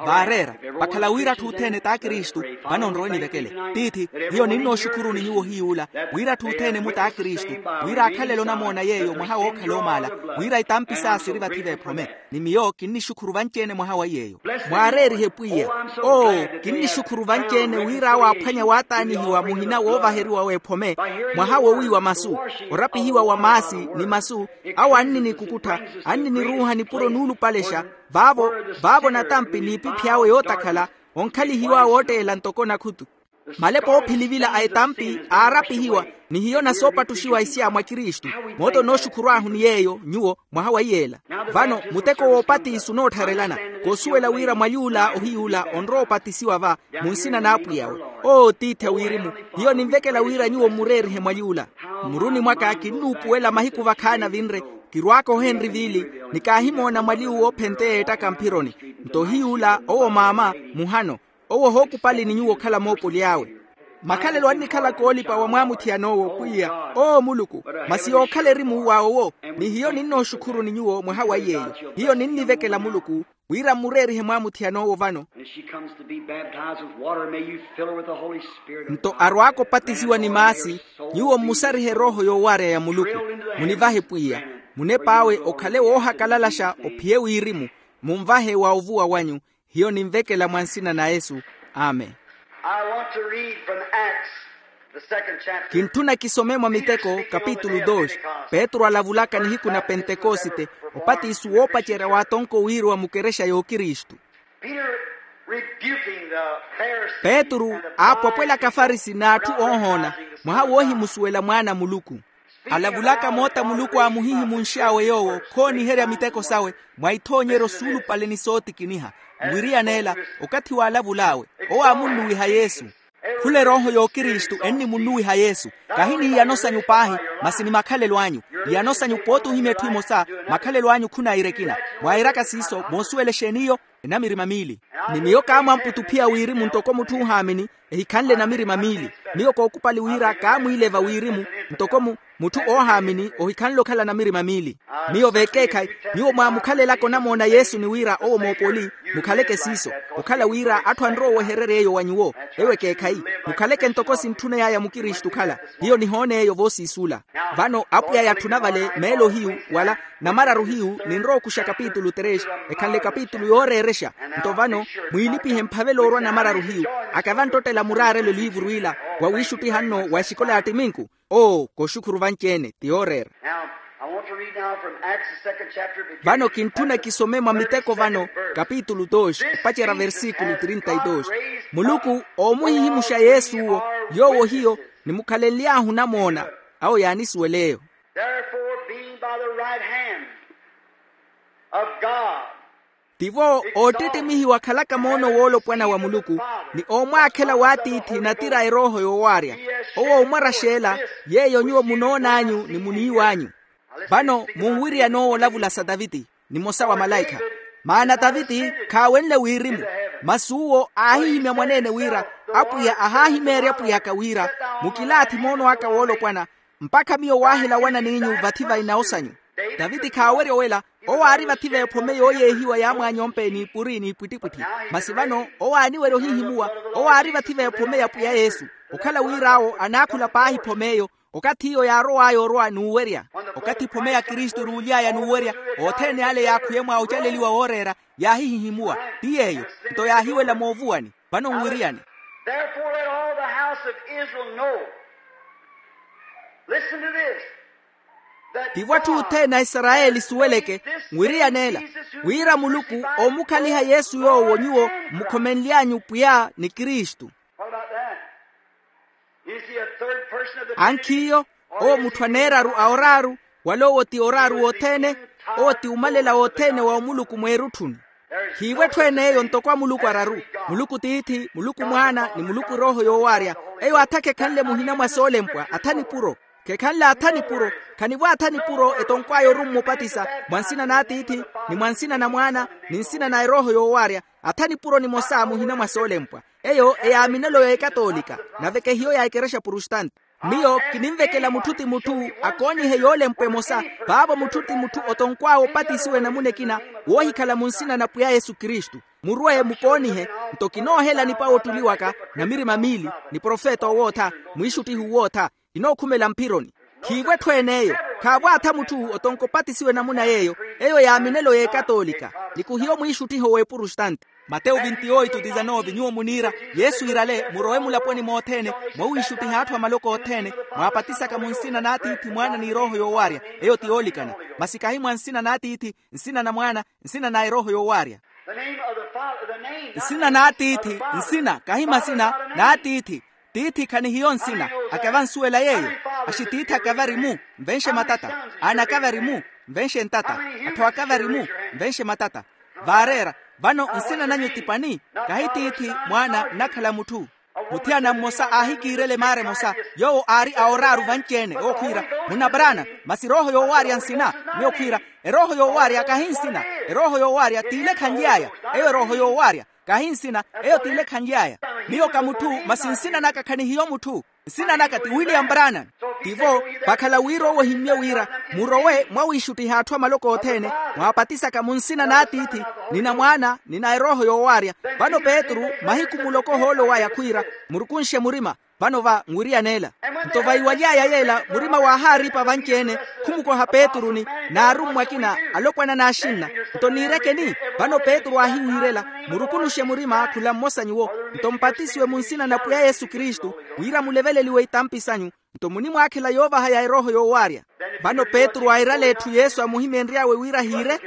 Vaareera, vakhala wira atthu othene t'akristu. Vano nrowe nivekele. Tiithi, hiyo ninnooxukhuruni nyuwo hiy'ula, wira atthu othene-mu t'akristu, wira aakhalele onamoona yeeyo mwaha wookhala omaala, wira itampi saa siri vathi v'ephome. Ni miyo kinnixukhuru vanci-ene mwaha wa yeeyo. Mwaareerihe pwiya. Oo, kinnixukhuru vanci-ene wira awo aaphwanya waataanihiwa muhina woovaheriwa w'ephome, mwaha wowiiwa masu, orapihiwa wa maasi, ni masu, awo anninikukuttha, anniniruuha nipuro nuulupalexa. Vaavo, vaavo natampi n'ipiphi awe yootakhala, onkhalihiwa wootteela ntoko nakhutu. Malepo oophilivila a etampi aarapihiwa, ni hiyo nasoopattuxiwa isiyaamwa kristu. Moota onooxukhurw'ahu ni yeeyo nyuwo mwaha wa iyeela. Vano muteko woopatisi onoottharelana, koosuwela wira mwali ula ohiy'ula onrowa opatisiwa va, mu nsina n'apwiya awe. Oo tiithi a wirimu, hiyo ninvekela wira nyuwo mmureerihe mwali ula. Mmuruni mwaka kinnuupuwela mahiku vakhaani avinre, kirwaaka ohenri viili, ni kaahimoona mwali uwo ophenteya ettaka mphironi. Nto ohiy'ula owo maama, muhano, owo ohookupali ni nyuwo okhala moopoli awe. Makhalelo annikhala koolipa wa mwaamuthiyana owo pwiya, oo muluku, masi yookhala erimu wa owo. Ni hiyo ninnooxukhuruni nyuwo mwaha wa iyeeyo. Hiyo ninnivekela muluku, wira mmureerihe mwaamuthiyana owo vano. And as she comes to be baptized with water, may you fill her with the Holy Spirit of God. Nto arwaaka opatisiwa ni maasi, nyuwo mmusarihe erooho yoowaarya ya muluku. Munivahe pwiya, munep'awe okhale woohakalalaxa ophiye wirimu, munvahe wa ovuwa wanyu. Hiyo ninvekela mwa nsina na yesu. Amen. I want to read from Acts, the second chapter. Kintthuna kisome mwa miteko kapitulu dos. Petru alavulaka nihiku na pentekosite, opatiso woopacerya w'atonko wiiriwa mukerexa y'okristu. Peter rebuking the Pharisees. Petru aapwapwelaka afarisi n'atthu oohoona, mwaha woohimusuwela mwaana a muluku. Alavulaka moota muluku aamuhihimunx'awe yoowo khooniherya miteko sawe, mwa ithoonyeryo suulupale ni sootikiniha. Nwiriyaneela, okathi waalavul'awe, owo aamunnuwiha yesu. Khula erooho y'okristu ennimunnuwiha yesu. Kahi ni iyano sanyu paahi, masi ni makhalelo anyu. Iyano sanyu pooti ohimya etthu emosa, makhalelo anyu khunaira ekina. Mwairaka siiso moosuwela exeen'iyo? Enamirima miili. Ni miyo kaamwamputa ophiya wirimu ntoko mutthu oohaamini ehikhanle enamirima miili. Miyo kookupali wira kaamwiileva wirimu ntoko mu mutthu oohaamini ohikhanle okhala namirima miili. Miyo vekeekhayi, nyuwo mwaamukhalelaka onamoona yesu ni wira owo moopoli, mukhaleke siiso. Okhala wira atthu anrowa owehererya eyo wa nyuwo. Eyo ekeekhayi. Mukhaleke ntoko sintthuney'aya mukristu okhala. Hiyo nihoona eyo voosiisula. Vano apwiya yatthuna vale meelo hiyu wala namararu hiyu ninrowa okuxa kapitulu tres, ekhanle kapitulu yooreerexa. Nto vano mwiilipihe mphavela orwa namararu hiyu. Akava nttottela muraarelo eliivuru ila, wa wiixuttiha nno wa exikola ya ttiminku. Oo, koxukhuru vanci-ene ti yooreera. Vano kintthuna kisome mwa miteko vano, kapitulu dos opacerya versikulu trinta y dos. Muluku oomuhihimuxa yesu owo, yoowo hiyo nimukhalenly'ahu namoona. Awo yaanisuwela eyo. Therefore, being by the right hand of God, tivo oottittimihiwa akhalaka moono woolopwana wa muluku, ni oomwaakhela w'atiithi natira a erooho yoowaarya. Owo omwaraxeela yeeyo nyuwo munoon'anyu ni muniiw'anyu. Vano munwiryan'owo olavula sa taviti, nimosa wa malaikha. Maana taviti khaawenle wirimu, masi uwo aahihimya mwaneene wira apwiya ahaahimeerya apwiy'aka wira, mukilaathi moono aka woolopwana, mpakha miyo waahila owana n'inyu vathi va inawo sanyu. Taviti khaawerya owela. Owo aari vathi v'ephome yooyeehiwa yaamwaanya ompeeni puri n'ipwittipwitthi. Masi vano owo aaniwerya ohihimuwa. Owo aari vathi v'ephome ya pwiya yesu, okhala wir'awo anaakhula paahi ephom'eyo. Okathi iyo yaarow'aya orwa n'uwerya, okathi ephome ya kristu eruuly'aya n'uwerya, othene ale yaakhuye mwa ocaleliwa wooreera, yaahihihimuwa. Ti yeeyo. Nto yaahiwela moovuwani. Vano nwiriyani. Therefore let all the house of Israel know. Listen to this. Tivo atthu othene a isarayeli asuweleke, nwiriyaneela wira muluku oomukhaliha yesu yoowo nyuwo mmukhomenly'anyu pwiya ni kristu. What about that? Is he a third person of the Trinity? Ankhiyo, owo mutthu aneeraru a oraaru, wala owo ti oraaru wothene? Owo ti umalela wothene wa omuluku mweerutthuni. Khiivo etthu ene eyo ntoko a muluku araru, muluku tiithi, muluku mwaana, ni muluku erooho yoowaarya. Eyo atha khekhanle muhina mwa soolempwa atha nipuro. Khekhanle atha nipuro. Khanivo atha nipuro etonkw'aya orummupatisa, mwa nsina n'atiithi, ni mwa nsina na mwaana, ni nsina na erooho yoowaarya. Atha nipuro nimosa muhina mwa soolempwa. Eyo eyaaminelo y'ekatoolika, nave kehiyo ya ekerexa prustante. Miyo kininvekela mutthu ti mutthu akoonihe yoolempwa emosa. Vaavo mutthu ti mutthu otonkw'awe opatisiwa enamuna ekina, woohikhala mu nsina na pwiya yesu kristu. Murwe mukoonihe. Nto kinoohela nipawo ottuli waka, na mirima miili, ni profeta owootha, mwiixuttihi uwootha. Kinookhumela mphironi. Khiivo etthu ene eyo. Khaavo atha mutthu otonka opatisiwa enamuna y'eyo. Eyo yaaminelo y'ekatoolika, ni khuhiyo mwiixuttiho w'eprustante. Matewu vinti oitu disanove nyuwo muniira, yesu iirale murowe mulaponi mothene, mwawiixuttiha atthu a maloko othene, mwaapatisaka mu nsina n'atiithi mwaana n'erooho yoowaarya. Eyo ti yoolikana. Masi kahi mwa nsina n'atiithi, nsina na mwaana, nsina na erooho yoowaarya. Nsina n'atiithi, nsina kahi masina, n'atiithi. Tiithi khanihiyo nsina. Akava ansuwela yeeyo. Axitiithi akava ari mu, nvenxe matata. Aana akava ari mu, nvenxe ntata. Atthu akava ari mu, nvenxe matata. Vaareera. Vano nsina nanyu ti pani? Kahi tiithi, mwaana nnakhala mutthu. Muthiyana mmosa aahikiirela emaara emosa, yoowo aari a oraaru vanci-ene ookhwiira, munna brana. Masi erooho yoowaarya nsina? Miyo khwiira, erooho yoowaarya kahi nsina. Erooho yoowaarya t'ile ekhanly'aya. Eyo erooho yoowaarya kahi nsina. Eyo t'ile ekhanly'aya. Miyo ka mutthu, masi nsina naka khanihiyo mutthu. Nsina naka ti william brana. Tivo, vakhala wira owo ohimmye wira, murowe mwawiixuttiha atthu a maloko othene, mwaapatisaka mu nsina n'atiithi, ni na mwaana, ni na erooho yoowaarya. Vano petru, mahiku muloko ohoolo waya khwiira, murukunxe murima. Vano va nwiriyaneela. Nto vaiwaly'aya yeela murima waahaaripa vanci-ene, khumukoha petru ni, n'arummwa akina alopwana n'axinna. Nto niirekeni? Vano petru aahiwiirela, murukunuxe murima khula mmosa nyuwo, nto mpatisiwe mu nsina na pwiya yesu kristu, wira muleveleliwe itampi sanyu. Nto munimwaakhela yoovaha ya erooho yoowaarya. Vano petru airala etthu yesu amuhimeenry'awe wira ahiire.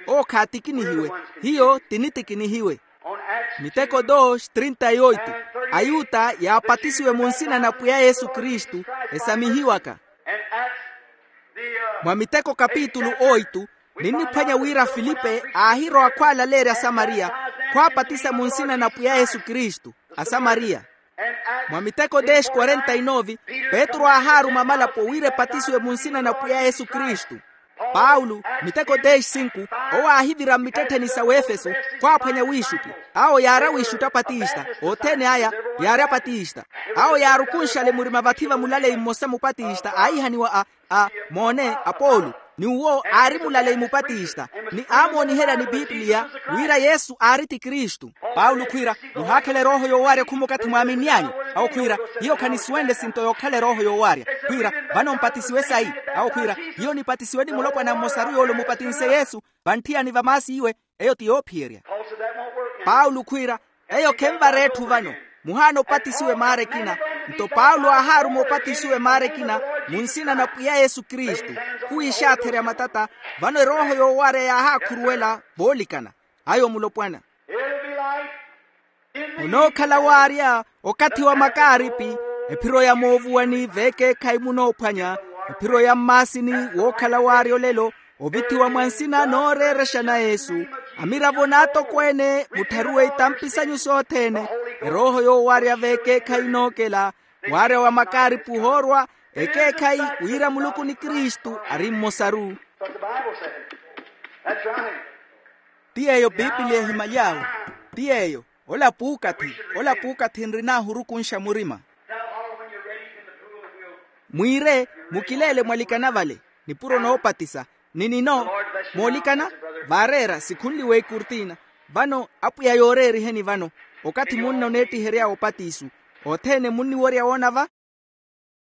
Owo khaatikinihiwe. Hiyo tinitikinihiwe. Miteko dos trinta y oito. Ayuta yaapatisiwe mu nsina na pwiya yesu kristu, esamihiwaka. Mwa miteko kapitulu oito, ninniphwanya wira filipe aahirowa khwaalaleerya asamariya, khwaapatisa mu nsina na pwiya yesu kristu. Asamariya. Mwa miteko dez quarenta y nove, petru aahaaruma amalapo wira epatisiwe mu nsina na pwiya yesu kristu. Paulo, miteko dez cinco, owo aahivira mmittettheni sa wefeso, khwaaphwanya wiixutti. Awo yaari awiixutti apatista, othene aya yaari apatista. Awo yaarukunxale murima vathi va mulaleyi mmosa mupatista aihaniwa a a moone, apolo, ni uwo aari mulaleyi mupatista, ni aamooniherya ni pipiliya wira yesu aari ti kristu. Paulo khwiira, muhaakhela erooho yoowarya khuma okathi mwaaminny'anyu. Awo khwiira, hiyo khanisuwenle esinto yookhala erooho yoowarya. Khwiira, vano mpatisiwe sayi. Awo khwiira, hiyo nipatisiwe ni mulopwana mmosaru yoole omupatinse yesu, vantthiyani va maasi iwe. Eyo ti yoophiyerya. Paulo khwiira, eyo khenvara etthu vano. Muhaana opatisiwe maara ekina. Nto paulo aahaaruma opatisiwe maara ekina, mu nsina na pwiya yesu kristu. Khuwiixaatherya matata. Vano erooho yoowarya yaahaakhuruwela voolikana. Ayo mulopwana. Munookhala waarya okathi wa makaaripi, ephiro ya moovuwani veekeekhayi munoophwanya, ephiro ya mmaasini wookhala waarya olelo, ovithiwa mwa nsina nooreerexa na yesu. Amiravo n'atokweene muttharuwe itampi sanyu sothene, erooho yoowarya veekeekhayi inookela, waarya wa makaaripi ohoorwa, ekeekhayi wira muluku ni kristu ari mmosaru. Ti yeeyo piipiliya ehimaly'awe. Ti yeeyo. Ola puukathi, ola puukathi nrin'ahu orukunxa murima. Mwiire, mukileele mwalikana vale, nipuro noopatisa. Ni nino, moolikana, vaareera sikhunliwe ekurtina. Vano apwiya yooreeriheni vano, okathi munna oneettihery'awe opatiso, othene munniwerya woona va.